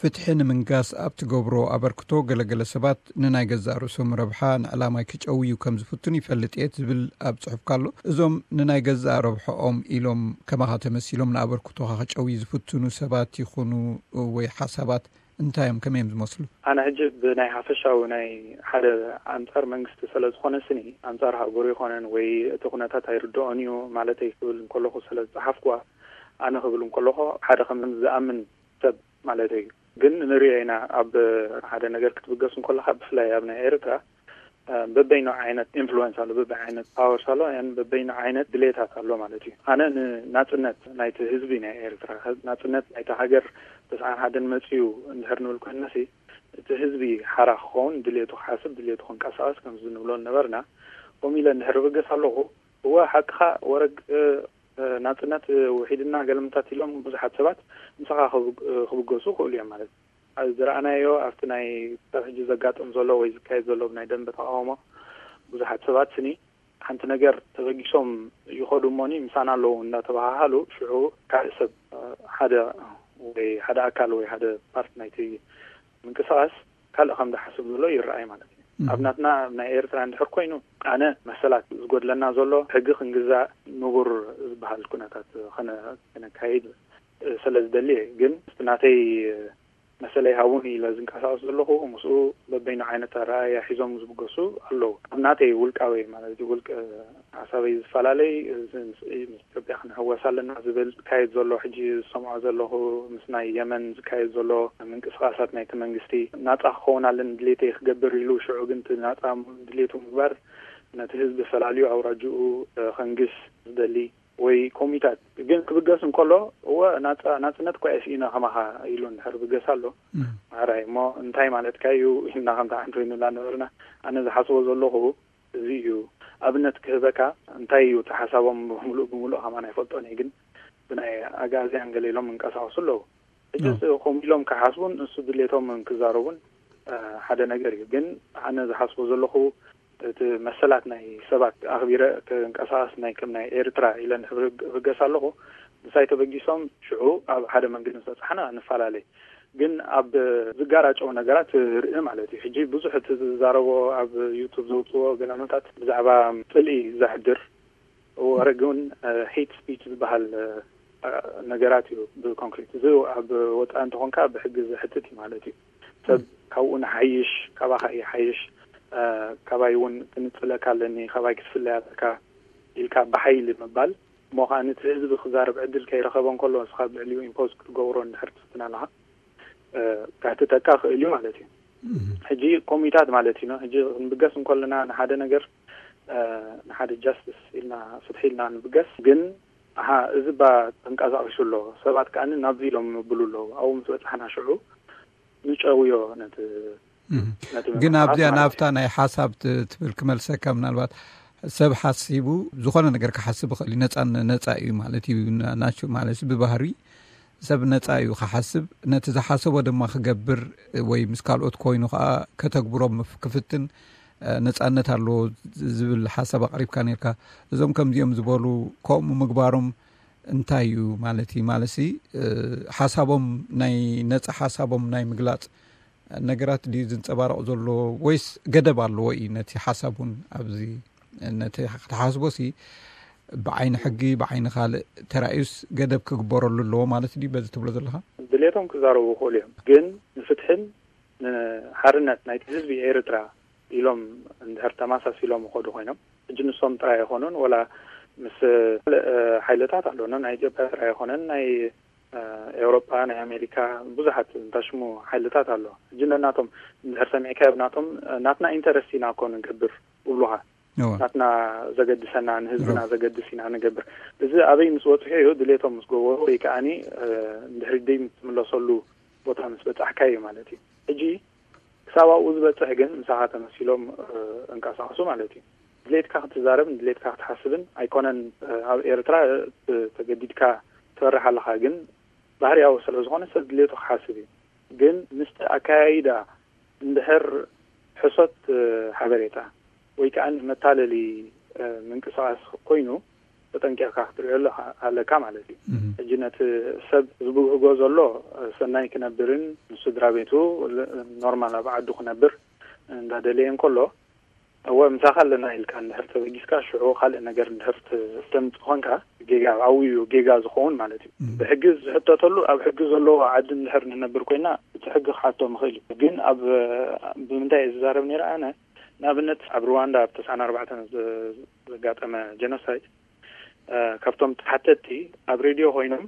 ፍትሒ ንምንጋስ ኣብ ትገብሮ ኣበርክቶ ገለገለ ሰባት ንናይ ገዛእ ርእሶም ረብሓ ንዕላማይ ክጨውዩ ከም ዝፍትኑ ይፈልጥ እየ ትብል ኣብ ጽሑፍካ ኣሎ። እዞም ንናይ ገዛእ ረብሓኦም ኢሎም ከማኻ ተመሲሎም ንኣበርክቶኻ ክጨውዩ ዝፍትኑ ሰባት ይኹኑ ወይ ሓሳባት እንታይ እዮም፣ ከመይ እዮም ዝመስሉ? ኣነ ሕጂ ብናይ ሓፈሻዊ ናይ ሓደ ኣንጻር መንግስቲ ስለ ዝኾነ ስኒ፣ ኣንጻር ሃገሩ ይኾነን ወይ እቲ ኩነታት ኣይርድኦን እዩ ማለተይ ክብል እንከለኹ ስለ ዝጸሓፍኩዋ፣ ኣነ ክብል እንከለኹ ሓደ ከም ዝኣምን ሰብ ማለተይ እዩ። ግን ንሪኦ ኢና፣ ኣብ ሓደ ነገር ክትብገስ እንከለኻ፣ ብፍላይ ኣብ ናይ ኤርትራ፣ እ፣ በበይኑ ዓይነት ኢንፍሉወንስ ኣሎ፣ በበይ ዓይነት ፓወርስ ኣሎ፣ ያን በበይኑ ዓይነት ድሌታት ኣሎ ማለት እዩ። ኣነ ንናጽነት ናይቲ ህዝቢ ናይ ኤርትራ፣ ናጽነት ናይቲ ሃገር ተስዓን ሓደን መጽዩ እንድሕር ንብል ኮይንናሲ፣ እቲ ህዝቢ ሓራ ክኸውን፣ ድሌቱ ክሓስብ፣ ድሌቱ ክንቀሳቐስ፣ ከምዚ ንብሎ ነበርና። ከምኡ ኢለ እንድሕር ብገስ ኣለኹ፣ እወ፣ ሓቅኻ ወረግ፣ እ፣ እ፣ ናጽነት፣ እ፣ ውሒድና ገለምታት ኢሎም ብዙሓት ሰባት ምሳኻ ክብ-፣ እ፣ ክብገሱ ይኽእሉ እዮም ማለት እዩ። ኣብ ዝረኣናዮ፣ ኣብቲ ናይ ክሳብ ሕጂ ዘጋጥም ዘሎ ወይ ዝካየድ ዘሎ ናይ ደንበ ተቃውሞ፣ ብዙሓት ሰባት ስኒ ሓንቲ ነገር ተበጊሶም ይኸዱ እሞኒ፣ ምሳና ኣለዉ እናተባሃሃሉ፣ ሽዑ ካልእ ሰብ፣ እ፣ ሓደ ወይ ሓደ ኣካል ወይ ሓደ ፓርት ናይቲ ምንቅስቃስ ካልእ ከም ዝሓስብ ዘሎ ይረኣይ ማለት እዩ። እም። ኣብ ናትና፣ ኣብ ናይ ኤርትራ እንድሕር ኮይኑ፣ ኣነ መሰላት ዝጎድለና ዘሎ፣ ሕጊ ክንግዛእ፣ ንቡር ዝበሃል ኩነታት ከነ-፣ ከነካይድ ስለ ዝደሊ እየ። ግን ምስቲ ናተይ መሰለይ ሃቡኒ ኢለ ዝንቀሳቀስ ዘለኹ፣ ምስኡ በበይኑ ዓይነት ኣረኣእያ ሒዞም ዝብገሱ ኣለዉ። ኣብ ናተይ ውልቃዊ ማለት እዩ፣ ውልቅ ሓሳበይ ዝፈላለይ፣ እዚ ምስ፣ ምስ ኢትዮጵያ ክንሕወስ ኣለና ዝብል ዝካየድ ዘሎ፣ ሕጂ ዝሰምዖ ዘለኹ፣ ምስ ናይ የመን ዝካየድ ዘሎ ምንቅስቃሳት ናይቲ መንግስቲ፣ ናጻ ክኸውን ኣለኒ ድሌተይ ክገብር ኢሉ፣ ሽዑ ግን እቲ ናጻ ድሌቱ ምግባር ነቲ ህዝቢ ፈላልዩ ኣውራጅኡ፣ እ፣ ከንግስ ዝደሊ ወይ ኮሚታት ግን ክብገስ እንከሎ፣ እወ፣ ናጻ-፣ ናጽነት እኳ እየ ስኢነ ከማኻ ኢሉ እንድሕር ብገስ ኣሎ፣ እም። ማዕራይ እሞ እንታይ ማለትካ እዩ ኢልና ከምታ ሓንቲ ኮይኑላ ነበርና። ኣነ ዝሓስቦ ዘለኹ እዚ እዩ። ኣብነት ክህበካ፣ እንታይ እዩ እቲ ሓሳቦም ብምሉእ ብምሉእ ከማን ኣይፈልጦን እየ፣ ግን ብናይ ኣግኣዝያን ገለ ኢሎም እንቀሳቐሱ ኣለዉ። ሕጂ ኖ። እዚ ከምኡ ኢሎም ክሓስቡን እሱ ድሌቶም ክዛረቡን፣ እ፣ ሓደ ነገር እዩ። ግን ኣነ ዝሓስቦ ዘለኹ፣ እቲ መሰላት ናይ ሰባት ኣኽቢረ ክንቀሳቐስ ናይ ከም ናይ ኤርትራ ኢለ እንድሕር ብገስ ኣለኹ፣ ምሳይ ተበጊሶም ሽዑ ኣብ ሓደ መንገዲ ምስ በጻሕና ንፈላለይ። ግን ኣብ ዝጋራጨው ነገራት ርኢ ማለት እዩ። ሕጂ ብዙሕ እቲ ዝዛረቦ ኣብ ዩቱብ ዘውፅዎ ገለመታት ብዛዕባ ጽልኢ ዘሕድር ወረ ግን፣ እ፣ ሄት ስፒች ዝበሃል፣ እ፣ ነገራት እዩ ብኮንክሪት። እዚ ኣብ ወፃኢ እንተኾንካ ብሕጊ ዘሕትት እዩ ማለት እዩ። ሰብ ካብኡ ንሓይሽ፣ ካባኻ ይሓይሽ፣ እ፣ ካባይ እውን ክንፅለካ ኣለኒ፣ ካባይ ክትፍለይ ኣለካ ኢልካ ብሓይሊ ምባል፣ እሞ ከዓ ነቲ ህዝቢ ክዛረብ ዕድል ከይረኸበ እንከሎ፣ ንስኻ ኣብ ልዕሊኡ ኢምፖዝ ክትገብሮ እንድሕር ትፍትን ኣለኻ፣ እ፣ ከሕትተካ ክእል እዩ ማለት እዩ። እም። ሕጂ ኮሚታት ማለት እዩ። ሕጂ ክንብገስ እንከለና ንሓደ ነገር፣ እ፣ ንሓደ ጃስቲስ ኢልና፣ ፍትሒ ኢልና ንብገስ፣ ግን፣ ኣሃ፣ እዚ ባ ተንቀሳቒሱ ኣሎ፣ ሰባት ከኣ ናብዚ ኢሎም ይብሉ ኣለዉ። ኣብኡ ምስ በጻሕና ሽዑ ንጨውዮ ነቲ፣ እም። ነቲ ግን ምንቅስቃስ ኣብዚኣ ማለት ናብታ እዩ። ናይ ሓሳብ ት-፣ ትብል ክመልሰካ፣ ምናልባት ሰብ ሓሲቡ ዝኾነ ነገር ክሓስብ ይኽእል እዩ። ነጻ፣ ነጻ እዩ ማለት እዩ። ና-፣ ናቹ-፣ ማለት ብባህሪ ሰብ ነጻ እዩ ክሓስብ፣ ነቲ ዝሓሰቦ ድማ ክገብር ወይ ምስ ካልኦት ኮይኑ ከኣ ከተግብሮ ምፍ-፣ ክፍትን፣ እ፣ ነጻነት ኣለዎ ዝብል ሓሳብ ኣቕሪብካ ነርካ። እዞም ከምዚኦም ዝበሉ ከምኡ ምግባሮም እንታይ እዩ ማለት እዩ? ማለትሲ፣ እ፣ ሓሳቦም ናይ ነጻ ሓሳቦም ናይ ምግላጽ ነገራት ድዩ ዝንጸባረቕ ዘሎ ወይስ ገደብ ኣለዎ እዩ? ነቲ ሓሳብ እውን ኣብዚ ነቲ ክትሓስቦ ሲ ብዓይኒ ሕጊ፣ ብዓይኒ ካልእ ተራእዩስ ገደብ ክግበረሉ ኣለዎ ማለት ድዩ በዚ ትብሎ ዘለኻ? ድሌቶም ክዛረቡ ይኽእሉ እዮም፣ ግን ንፍትሕን ንሓርነት ናይቲ ህዝቢ ኤርትራ ኢሎም እንድሕር ተማሳሲሎም ይኸዱ ኮይኖም፣ ሕጂ ንሶም ጥራይ ኣይኮኑን፣ ወላ ምስ ካልእ ሓይልታት ኣለና፣ ናይ ኢትዮጵያ ጥራይ ኣይኮነን፣ ናይ፣ እ፣ ኤውሮጳ፣ ናይ ኣሜሪካ ብዙሓት እንታሽሙ ሓይልታት ኣሎ። ሕጂ ነናቶም እንድሕር ሰሚዕካዮ፣ ብናቶም፣ እ፣ ናትና ኢንተረስት ኢና እኮ ንገብር ይብሉኻ። እወ። ናትና ዘገድሰና፣ ንህዝብና እወ። ዘገድስ ኢና ንገብር። እዚ ኣበይ ምስ በጽሑ እዩ? ድሌቶም ምስ ገበሩ ወይ ከኣኒ፣ እ፣ እንድሕሪ ደይ ምስ ትምለሰሉ ቦታ ምስ በጻሕካ እዩ ማለት እዩ። ሕጂ ክሳብ ኣብኡ ዝበጽሕ ግን ምሳኻ ተመሲሎም፣ እ፣ እንቀሳቐሱ ማለት እዩ። ድሌትካ ክትዛረብን ድሌትካ ክትሓስብን ኣይኮነን፣ እ፣ ኣብ ኤርትራ፣ እ፣ ተገዲድካ ትፈርሕ ኣለኻ፣ ግን ባህርያዊ ስለ ዝኾነ ሰብ ድሌቱ ክሓስብ እዩ። ግን ምስቲ ኣከያይዳ እንድሕር ሕሶት፣ እ፣ ሓበሬታ ወይ ከኣ መታለሊ፣ እ፣ ምንቅስቓስ ኮይኑ ተጠንቂቕካ ክትሪኦ ኣለኻ፣ ኣለካ ማለት እዩ። እም። ሕጂ ነቲ ሰብ ዝብህጎ ዘሎ፣ እ፣ ሰናይ ክነብርን ንስድራ ቤቱ ል-፣ ኖርማል ኣብ ዓዱ ክነብር እንዳደለየ እንከሎ፣ እወ ምሳኻ ኣለና ኢልካ እንድሕር ተበጊስካ፣ ሽዑ ካልእ ነገር እንድሕር ት-፣ ተምጽእ ኾንካ፣ ጌጋ ኣብዩ ጌጋ ዝኸውን ማለት እዩ። ብሕጊ ዝሕተተሉ ኣብ ሕጊ ዘለዎ ዓዲ እንድሕር ንነብር ኮይና እቲ ሕጊ ክሓቶ ምኽእል እዩ። ግን ኣብ ብምንታይ እየ ዝዛረብ ነይረ ኣነ? ንኣብነት ኣብ ሩዋንዳ ኣብ ተስዓን ኣርባዕተን ዘጋጠመ ጀኖሳይድ ካብቶም ተሓተትቲ ኣብ ሬድዮ ኮይኖም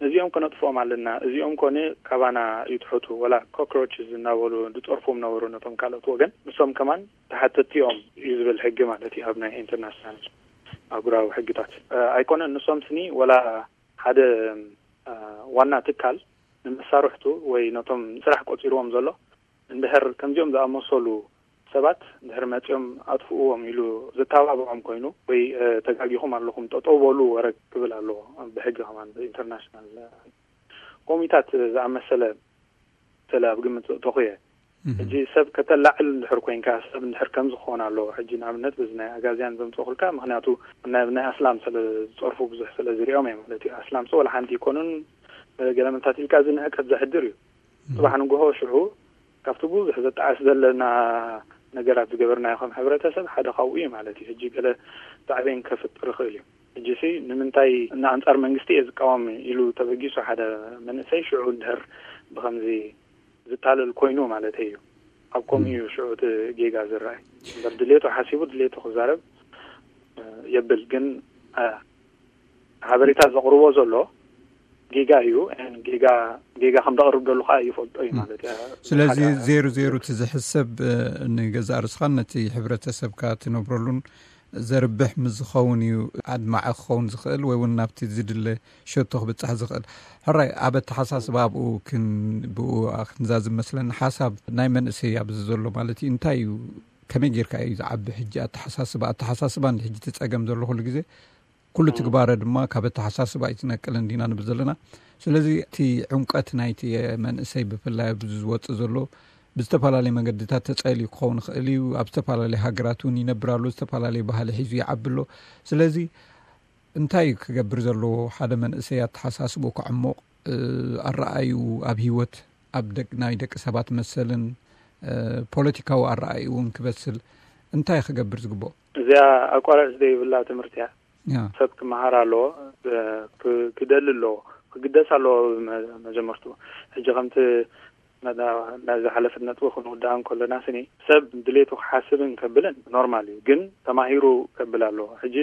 ነዚኦም ከነጥፍኦም ኣለና፣ እዚኦም ኮነ ካባና ይትሕቱ፣ ወላ ኮክሮች እናበሉ ዝፀርፉም ነበሩ ነቶም ካልኦት ወገን። ንሶም ከማን ተሓተትቲ እዮም እዩ ዝብል ሕጊ ማለት እዩ ኣብ ናይ ኢንተርናሽናል ኣህጉራዊ ሕግታት። ኣይኮነን ንሶም ስኒ ወላ ሓደ ዋና ትካል ንመሳርሕቱ ወይ ነቶም ስራሕ ቆፂርዎም ዘሎ እንድሕር ከምዚኦም ዝኣመሰሉ ሰባት እንድሕር መፂኦም ኣጥፍእዎም ኢሉ ዘተባብዖም ኮይኑ ወይ ተጋጊኹም ኣለኹም ጠጠው በሉ ወረ ክብል ኣለዎ ብሕጊ ከማን ብኢንተርናሽናል ኮሚታት ዝኣመሰለ ስለ ኣብ ግምት ተኹየ ሕጂ ሰብ ከተላዕል እንድሕር ኮይንካ ሰብ እንድሕር ከም ዝኾን ኣለዎ። ሕጂ ንኣብነት በዚ ናይ ኣጋዝያን ዘምፅእኩልካ ምክንያቱ ናይ ኣስላም ስለ ዝፀርፉ ብዙሕ ስለ ዝሪኦም እየ ማለት እዩ። ኣስላም ሰ ወላ ሓንቲ ይኮኑን ገለመንታት ኢልካ እዚ ንዕቀት ዘሕድር እዩ። ፅባሕ ንጎሆ ሽዑ ካብቲ ብዙሕ ዘጣዓስ ዘለና ነገራት ዝገበርናዮ ከም ሕብረተሰብ ሓደ ካብኡ እዩ ማለት እዩ። ሕጂ ገለ ሳዕቤን ከፍጥር ይኽእል እዩ። ሕጂ ሲ ንምንታይ ንኣንፃር መንግስቲ እየ ዝቃወም ኢሉ ተበጊሱ ሓደ መንእሰይ ሽዑ እንድሕር ብኸምዚ ዝታለል ኮይኑ ማለት እዩ። ኣብ ከምኡ እዩ ሽዑ እቲ ጌጋ ዝረኣይ እምበር ድሌቱ ሓሲቡ ድሌቱ ክዛረብ የብል። ግን ሓበሬታ ዘቕርቦ ዘሎ ጌጋ እዩ። ጌጋ ጌጋ ከም ዘቕርብ ደሉ ከዓ ይፈልጦ እዩ ማለት እዩ። ስለዚ ዜሩ ዜሩ እቲ ዝሕሰብ ንገዛእ ርስኻን ነቲ ሕብረተሰብካ ትነብረሉን ዘርብሕ ምስ ዝኸውን እዩ ኣድማዒ ክኸውን ዝኽእል ወይ እውን ናብቲ ዝድለ ሸቶ ክብፃሕ ዝኽእል። ሕራይ ኣብ ኣተሓሳስባ ኣብኡ ብኡ ክንዛዝም መስለኒ ሓሳብ ናይ መንእሰይ ኣብዚ ዘሎ ማለት እዩ እንታይ እዩ ከመይ ጌርካ እዩ ዝዓቢ ሕጂ ኣተሓሳስባ ኣተሓሳስባ እንዲ ሕጂ ትፀገም ዘሎ ኩሉ ግዜ ኩሉ ትግባረ ድማ ካብ ኣተሓሳስባ ኣይትነቅልን ዲና ንብል ዘለና። ስለዚ እቲ ዕምቀት ናይቲ መንእሰይ ብፍላይ ኣብዚ ዝወፅእ ዘሎ ብዝተፈላለዩ መገድታት ተፀልዩ ክኸውን ይኽእል እዩ። ኣብ ዝተፈላለዩ ሃገራት እውን ይነብር ኣሎ። ዝተፈላለዩ ባህሊ ሒዙ ይዓቢ ኣሎ። ስለዚ እንታይ እዩ ክገብር ዘለዎ ሓደ መንእሰይ ኣተሓሳስቡ ክዕሞቕ ኣረኣዩ ኣብ ህይወት ኣብ ናይ ደቂ ሰባት መሰልን ፖለቲካዊ ኣረኣዩ እውን ክበስል እንታይ ክገብር ዝግብኦ? እዚኣ ኣቋራጭ ዘይብላ ትምህርቲ እያ። ሰብ ክመሃር ኣለዎ፣ ክደሊ ኣለዎ፣ ክግደስ ኣለዎ። መጀመርቱ ሕጂ ከምቲ ናዚ ሓለፍነት ክንውዳእ እንከለና ስኒ ሰብ ድሌቱ ክሓስብን ከብልን ኖርማል እዩ፣ ግን ተማሂሩ ከብል ኣለዎ። ሕጂ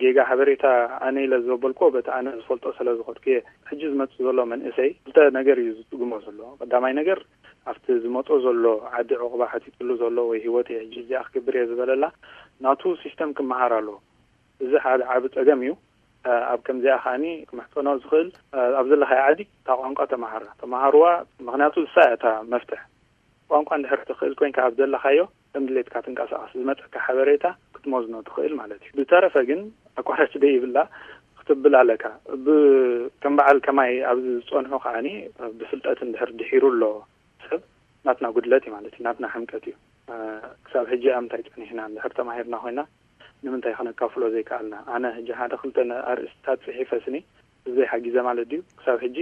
ጌጋ ሓበሬታ ኣነ ኢለ ዘበልኮ በቲ ኣነ ዝፈልጦ ስለ ዝኸድኩ እየ። ሕጂ ዝመፅእ ዘሎ መንእሰይ ክልተ ነገር እዩ ዝጥግሞ ዘሎ። ቀዳማይ ነገር ኣብቲ ዝመፆ ዘሎ ዓዲ ዕቑባ ሓቲትሉ ዘሎ ወይ ህይወት እየ ሕጂ እዚኣ ክገብር እየ ዝበለላ ናቱ ሲስተም ክመሃር ኣለዎ። እዚ ሓደ ዓቢ ጸገም እዩ። ኣብ ከምዚኣ ከዓኒ ክምሕጸኖ ዝኽእል ኣብ ዘለኻዮ ዓዲ እታ ቋንቋ ተመሃራ ተመሃርዋ። ምክንያቱ እሳ እያ እታ መፍትሕ። ቋንቋ እንድሕር ትኽእል ኮይንካ ኣብ ዘለኻዮ ከም ድሌትካ ትንቀሳቐስ ዝመፀካ ሓበሬታ ክትመዝኖ ትኽእል ማለት እዩ። ብተረፈ ግን ኣቋራጭ ደይብላ ክትብል ኣለካ። ከም በዓል ከማይ ኣብዚ ዝፀንሑ ከዓኒ ብፍልጠት እንድሕር ድሒሩ ኣሎ ሰብ ናትና ጉድለት እዩ ማለት እዩ፣ ናትና ሕምቀት እዩ። ክሳብ ሕጂ ኣብ ምንታይ ጸኒሕና እንድሕር ተማሂርና ኮይና ንምንታይ ከነካፍሎ ዘይከኣልና? ኣነ ሕጂ ሓደ ክልተ ኣርእስትታት ጽሒፈ ስኒ ብዘይ ሓጊዘ ማለት ድዩ? ክሳብ ሕጂ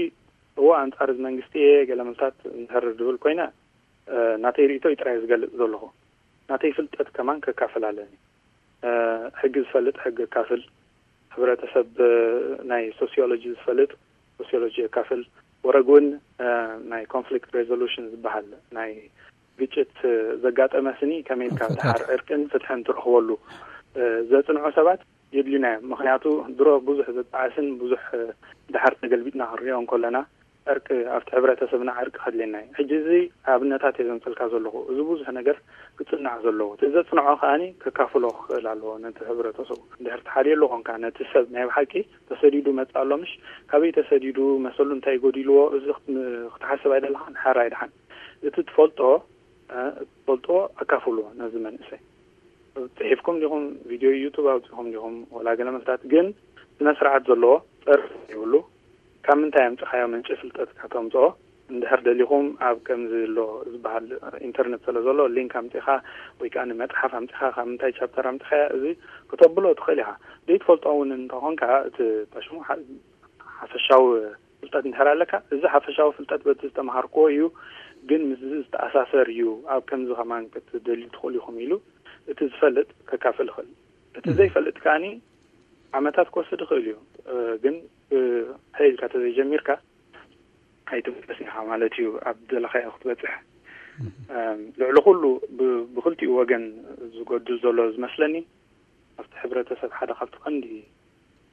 እዎ ኣንጻር እዚ መንግስቲ እየ ገለ ምልታት እንድሕር ዝብል ኮይነ ናተይ ርእይቶ እዩ ጥራይ ዝገልጽ ዘለኹ። ናተይ ፍልጠት ከማን ከካፍል ኣለኒ። ሕጊ ዝፈልጥ ሕጊ የካፍል፣ ሕብረተሰብ ናይ ሶሲዮሎጂ ዝፈልጥ ሶሲዮሎጂ የካፍል፣ ወረግ እውን ናይ ኮንፍሊክት ሬዞሉሽን ዝበሃል ናይ ግጭት ዘጋጠመ ስኒ ከመይ ኢልካ ድሓር ዕርቅን ፍትሕን ትረኽበሉ ዘፅንዑ ሰባት የድልዩና እዮም። ምክንያቱ ድሮ ብዙሕ ዘጣዓስን ብዙሕ ድሓር ተገልቢጥና ክንሪኦ እንከለና ዕርቂ ኣብቲ ሕብረተሰብና ዕርቂ ከድልየና እዩ። ሕጂ እዚ ኣብነታት እየ ዘምፀልካ ዘለኹ። እዚ ብዙሕ ነገር ክፅናዕ ዘለዎ እቲ ዘፅንዖ ከዓኒ ከካፍሎ ክኽእል ኣለዎ ነቲ ሕብረተሰቡ። እንድሕር ትሓልየሉ ኮንካ ነቲ ሰብ ናይ ብሓቂ ተሰዲዱ መፅእ ኣሎ ምሽ ካበይ ተሰዲዱ መሰሉ እንታይ ጎዲልዎ እዚ ክትሓስብ ኣይደለኻን። ሓራይ ድሓን እቲ ትፈልጦ ትፈልጦ ኣካፍሉ ነዚ መንእሰይ። ፅሒፍኩም ዲኹም ቪድዮ ዩቱብ ኣውፂኹም ዲኹም ወላ ገለ መስላት ግን ስነ ስርዓት ዘለዎ ፀርፊ ዘይብሉ ካብ ምንታይ ኣምፅኻዮ ምንጪ ፍልጠትካ ተምፅኦ። እንድሕር ደሊኹም ኣብ ከምዚ ኣሎ ዝበሃል ኢንተርነት ስለ ዘሎ ሊንክ ኣምፂኻ ወይ ከዓ መፅሓፍ ኣምፂኻ ካብ ምንታይ ቻፕተር ኣምፅኻዮ እዚ ክተብሎ ትኽእል ኢኻ። ዘይትፈልጦ እውን እንተኾንካ እቲ ሽሙ ሓፈሻዊ ፍልጠት እንድሕር ኣለካ እዚ ሓፈሻዊ ፍልጠት በቲ ዝተምሃርክዎ እዩ ግን ምስ ዝተኣሳሰር እዩ ኣብ ከምዚ ከማን ክትደልዩ ትኽእሉ ኢኹም ኢሉ እቲ ዝፈልጥ ከካፍል ይኽእል። እቲ ዘይፈልጥ ከዓኒ ዓመታት ክወስድ ይኽእል እዩ። ግን ሓይልካ ተዘይጀሚርካ ኣይትምለስ ኢኻ ማለት እዩ። ኣብ ዘለኻዮ ክትበፅሕ ልዕሊ ኩሉ ብክልቲኡ ወገን ዝጎድል ዘሎ ዝመስለኒ ኣብቲ ሕብረተሰብ ሓደ ካብቲ ቀንዲ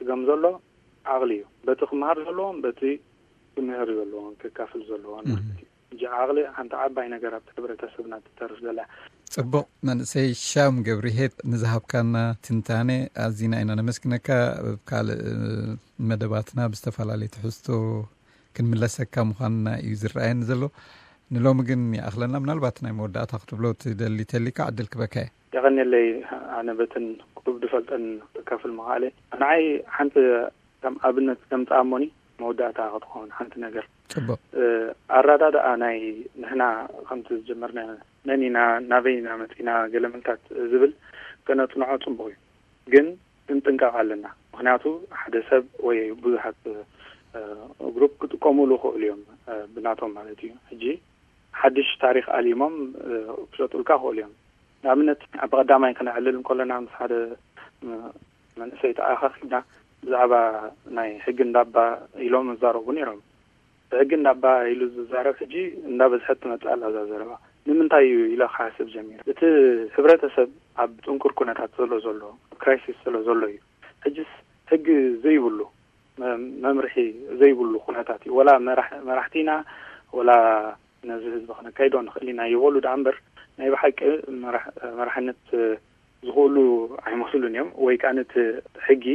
ስገም ዘሎ ዓቕሊ እዩ። በቲ ክመሃር ዘለዎም በቲ ክምህር ዘለዎን ክካፍል ዘለዎን ማለት እዩ። እጂ ዓቕሊ ሓንቲ ዓባይ ነገር ኣብቲ ሕብረተሰብና ትተርፍ ዘላ። ጽቡቕ። መንእሰይ ሻም ገብርሄት ንዝሃብካና ትንታኔ ኣዚና ኢና ነመስግነካ። ኣብ ካልእ መደባትና ብዝተፈላለየ ትሕዝቶ ክንምለሰካ ምዃንና እዩ ዝረኣየኒ ዘሎ። ንሎሚ ግን ይኣኽለና። ምናልባት ናይ መወዳእታ ክትብሎ ትደሊ ተሊካ ዕድል ክበካ እየ። የቐንየለይ። ኣነ በትን ክቡብ ዝፈልጠን ክካፍል ምኽኣለ። ንዓይ ሓንቲ ከም ኣብነት ከም ጻሞኒ መወዳእታ ክትኸውን ሓንቲ ነገር። ጽቡቕ። ኣራዳድኣ ናይ ንሕና ከምቲ ዝጀመርና መን ኢና ናበይ ኢና መጺና ገለ ምልታት ዝብል ከነጽንዖ ጽቡቕ እዩ። ግን ክንጥንቀቕ ኣለና። ምኽንያቱ ሓደ ሰብ ወይ ብዙሓት ግሩፕ ክጥቀሙሉ ክእሉ እዮም፣ ብናቶም ማለት እዩ። ሕጂ ሓድሽ ታሪኽ ኣሊሞም ክሸጡልካ ክእሉ እዮም። ንኣብነት ኣብ ቀዳማይ ክነዕልል እንከለና ምስ ሓደ መንእሰይ ተኣኻኺብና ብዛዕባ ናይ ሕጊ እንዳባ ኢሎም ይዛረቡ ነይሮም። ብሕጊ እንዳባ ኢሉ ዝዛረብ ሕጂ እንዳበዝሐት ትመጽእ ኣላ እዛ ዘረባ። ንምንታይ እዩ ኢለ ክሓስብ ጀሚረ። እቲ ሕብረተሰብ ኣብ ጥንኩር ኩነታት ዘሎ ዘሎ፣ ኣብ ክራይሲስ ዘሎ ዘሎ እዩ። ሕጅስ ሕጊ ዘይብሉ፣ መምርሒ ዘይብሉ ኩነታት እዩ። ወላ መራሕቲና ወላ ነዚ ህዝቢ ክነካይዶ ንኽእል ኢና ይበሉ ደኣ እምበር ናይ ብሓቂ መራሕነት ዝኽእሉ ኣይመስሉን እዮም። ወይ ከዓ ነቲ ሕጊ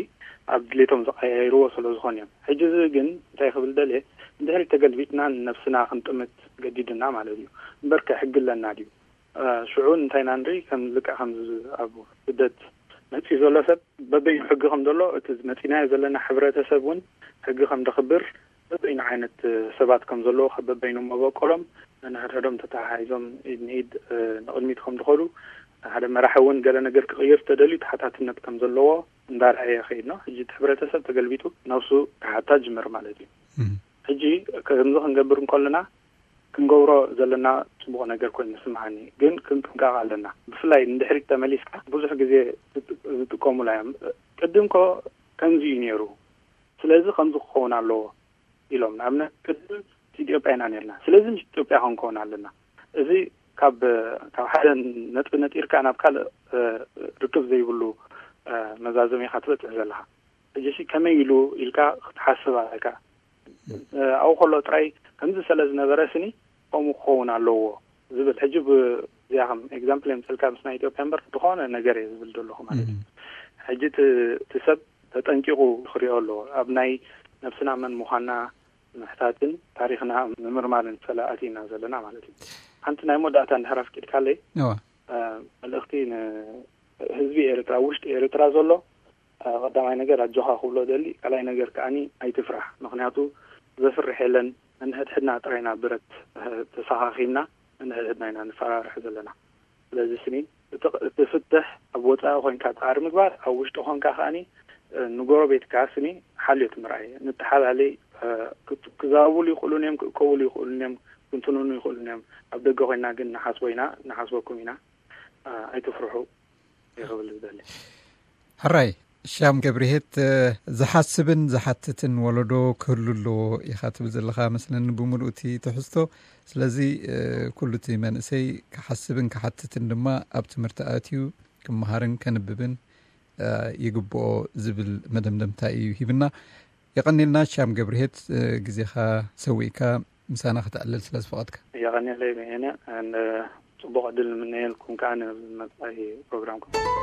ኣብ ድሌቶም ዝቀያይርዎ ስለ ዝኾኑ እዮም። ሕጂ እዚ ግን እንታይ ክብል ደልየ፣ እንድሕሪ ተገልቢጥና ንነብስና ክንጥምት ገዲድና ማለት እዩ። እምበርከ ሕጊ ኣለና ድዩ? ሽዑ እንታይ ኢና ንርኢ? ከም ልክዕ ከምዚ ኣብ ስደት መፂኡ ዘሎ ሰብ በበይኑ ሕጊ ከም ዘሎ እቲ መፂናዮ ዘለና ሕብረተሰብ እውን ሕጊ ከም ደኽብር በበይኑ ዓይነት ሰባት ከም ዘለዎ ካብ በበይኑ መበቆሎም ነንሕድሕዶም ተተሓሒዞም ኢድ ንኢድ ንቕድሚት ከም ዝኸዱ ሓደ መራሒ እውን ገለ ነገር ክቕይር ተደልዩ ተሓታትነት ከም ዘለዎ እንዳርኣየ ከይድ ነው። ሕጂ እቲ ሕብረተሰብ ተገልቢጡ ነብሱ ክሓታ ጅምር ማለት እዩ። ሕጂ ከምዚ ክንገብር እንከለና ክንገብሮ ዘለና ጽቡቕ ነገር ኮይኑ ይስምዓኒ፣ ግን ክንጥንቀቕ ኣለና። ብፍላይ ንድሕሪት ተመሊስካ ብዙሕ ግዜ ዝጥቀሙላ እዮም። ቅድም ኮ ከምዚ እዩ ነይሩ፣ ስለዚ ከምዚ ክኸውን ኣለዎ ኢሎም። ንኣብነት ቅድም ኢትዮጵያ ኢና ነርና፣ ስለዚ ምስ ኢትዮጵያ ክንከውን ኣለና። እዚ ካብ ካብ ሓደ ነጥቢ ነጢርካ ናብ ካልእ ርክብ ዘይብሉ መዛዘሚ ኢኻ ትበጽሕ ዘለኻ። ሕጂ ከመይ ኢሉ ኢልካ ክትሓስብ ኣለካ። ኣብኡ ከሎ ጥራይ ከምዚ ስለ ዝነበረ ስኒ ከምኡ ክኸውን ኣለዎ ዝብል ሕጂ ብዚኣ ከም ኤግዛምፕል የምፅልካ ምስ ናይ ኢትዮጵያ እምበር ዝኾነ ነገር እየ ዝብል ዘለኹ ማለት እዩ። ሕጂ እቲ ሰብ ተጠንቂቑ ክሪኦ ኣለዎ። ኣብ ናይ ነብስና መን ምዃንና ምሕታትን ታሪኽና ምምርማርን ሰለ ኣቲና ዘለና ማለት እዩ። ሓንቲ ናይ መወዳእታ እንድሕር ኣፍቂድካለይ መልእኽቲ ንህዝቢ ኤርትራ፣ ውሽጢ ኤርትራ ዘሎ ቀዳማይ ነገር ኣጆኻ ክብሎ ደሊ፣ ካልኣይ ነገር ከዓኒ ኣይትፍራሕ። ምኽንያቱ ዘፍርሕ የለን። ነንሕድሕድና ጥራይና ብረት ተሰኻኺብና ነንሕድሕድና ኢና ንፈራርሕ ዘለና። ስለዚ ስኒ እቲ ፍትሕ ኣብ ወፃኢ ኮይንካ ፃዕሪ ምግባር፣ ኣብ ውሽጢ ኮንካ ከዓኒ ንጎረቤትካ ስኒ ሓልዮት ምርኣይ። ንተሓላለይ ክዛረቡሉ ይኽእሉን እዮም፣ ክእከቡሉ ይኽእሉን እዮም፣ ክንትንኑ ይኽእሉን እዮም። ኣብ ደገ ኮይና ግን ንሓስቦ ኢና፣ ንሓስበኩም ኢና። ኣይትፍርሑ ይኽብል ዝደሊ። ሕራይ ሻም ገብርሄት፣ ዝሓስብን ዝሓትትን ወለዶ ክህሉ ኣለዎ ኢኻ ትብል ዘለኻ መስለኒ ብምሉእ እቲ ትሕዝቶ። ስለዚ ኩሉ እቲ መንእሰይ ክሓስብን ክሓትትን ድማ ኣብ ትምህርቲ ኣትዩ ክመሃርን ከንብብን ይግብኦ ዝብል መደምደምታ እዩ ሂብና። የቐኒልና ሻም ገብርሄት፣ ግዜኻ ሰዊእካ ምሳና ከተዕልል ስለ ዝፈቐድካ። የቐኒለይ በየነ። ጽቡቕ ዕድል ንምነየልኩም ከኣ ንመጻኢ ፕሮግራምኩም።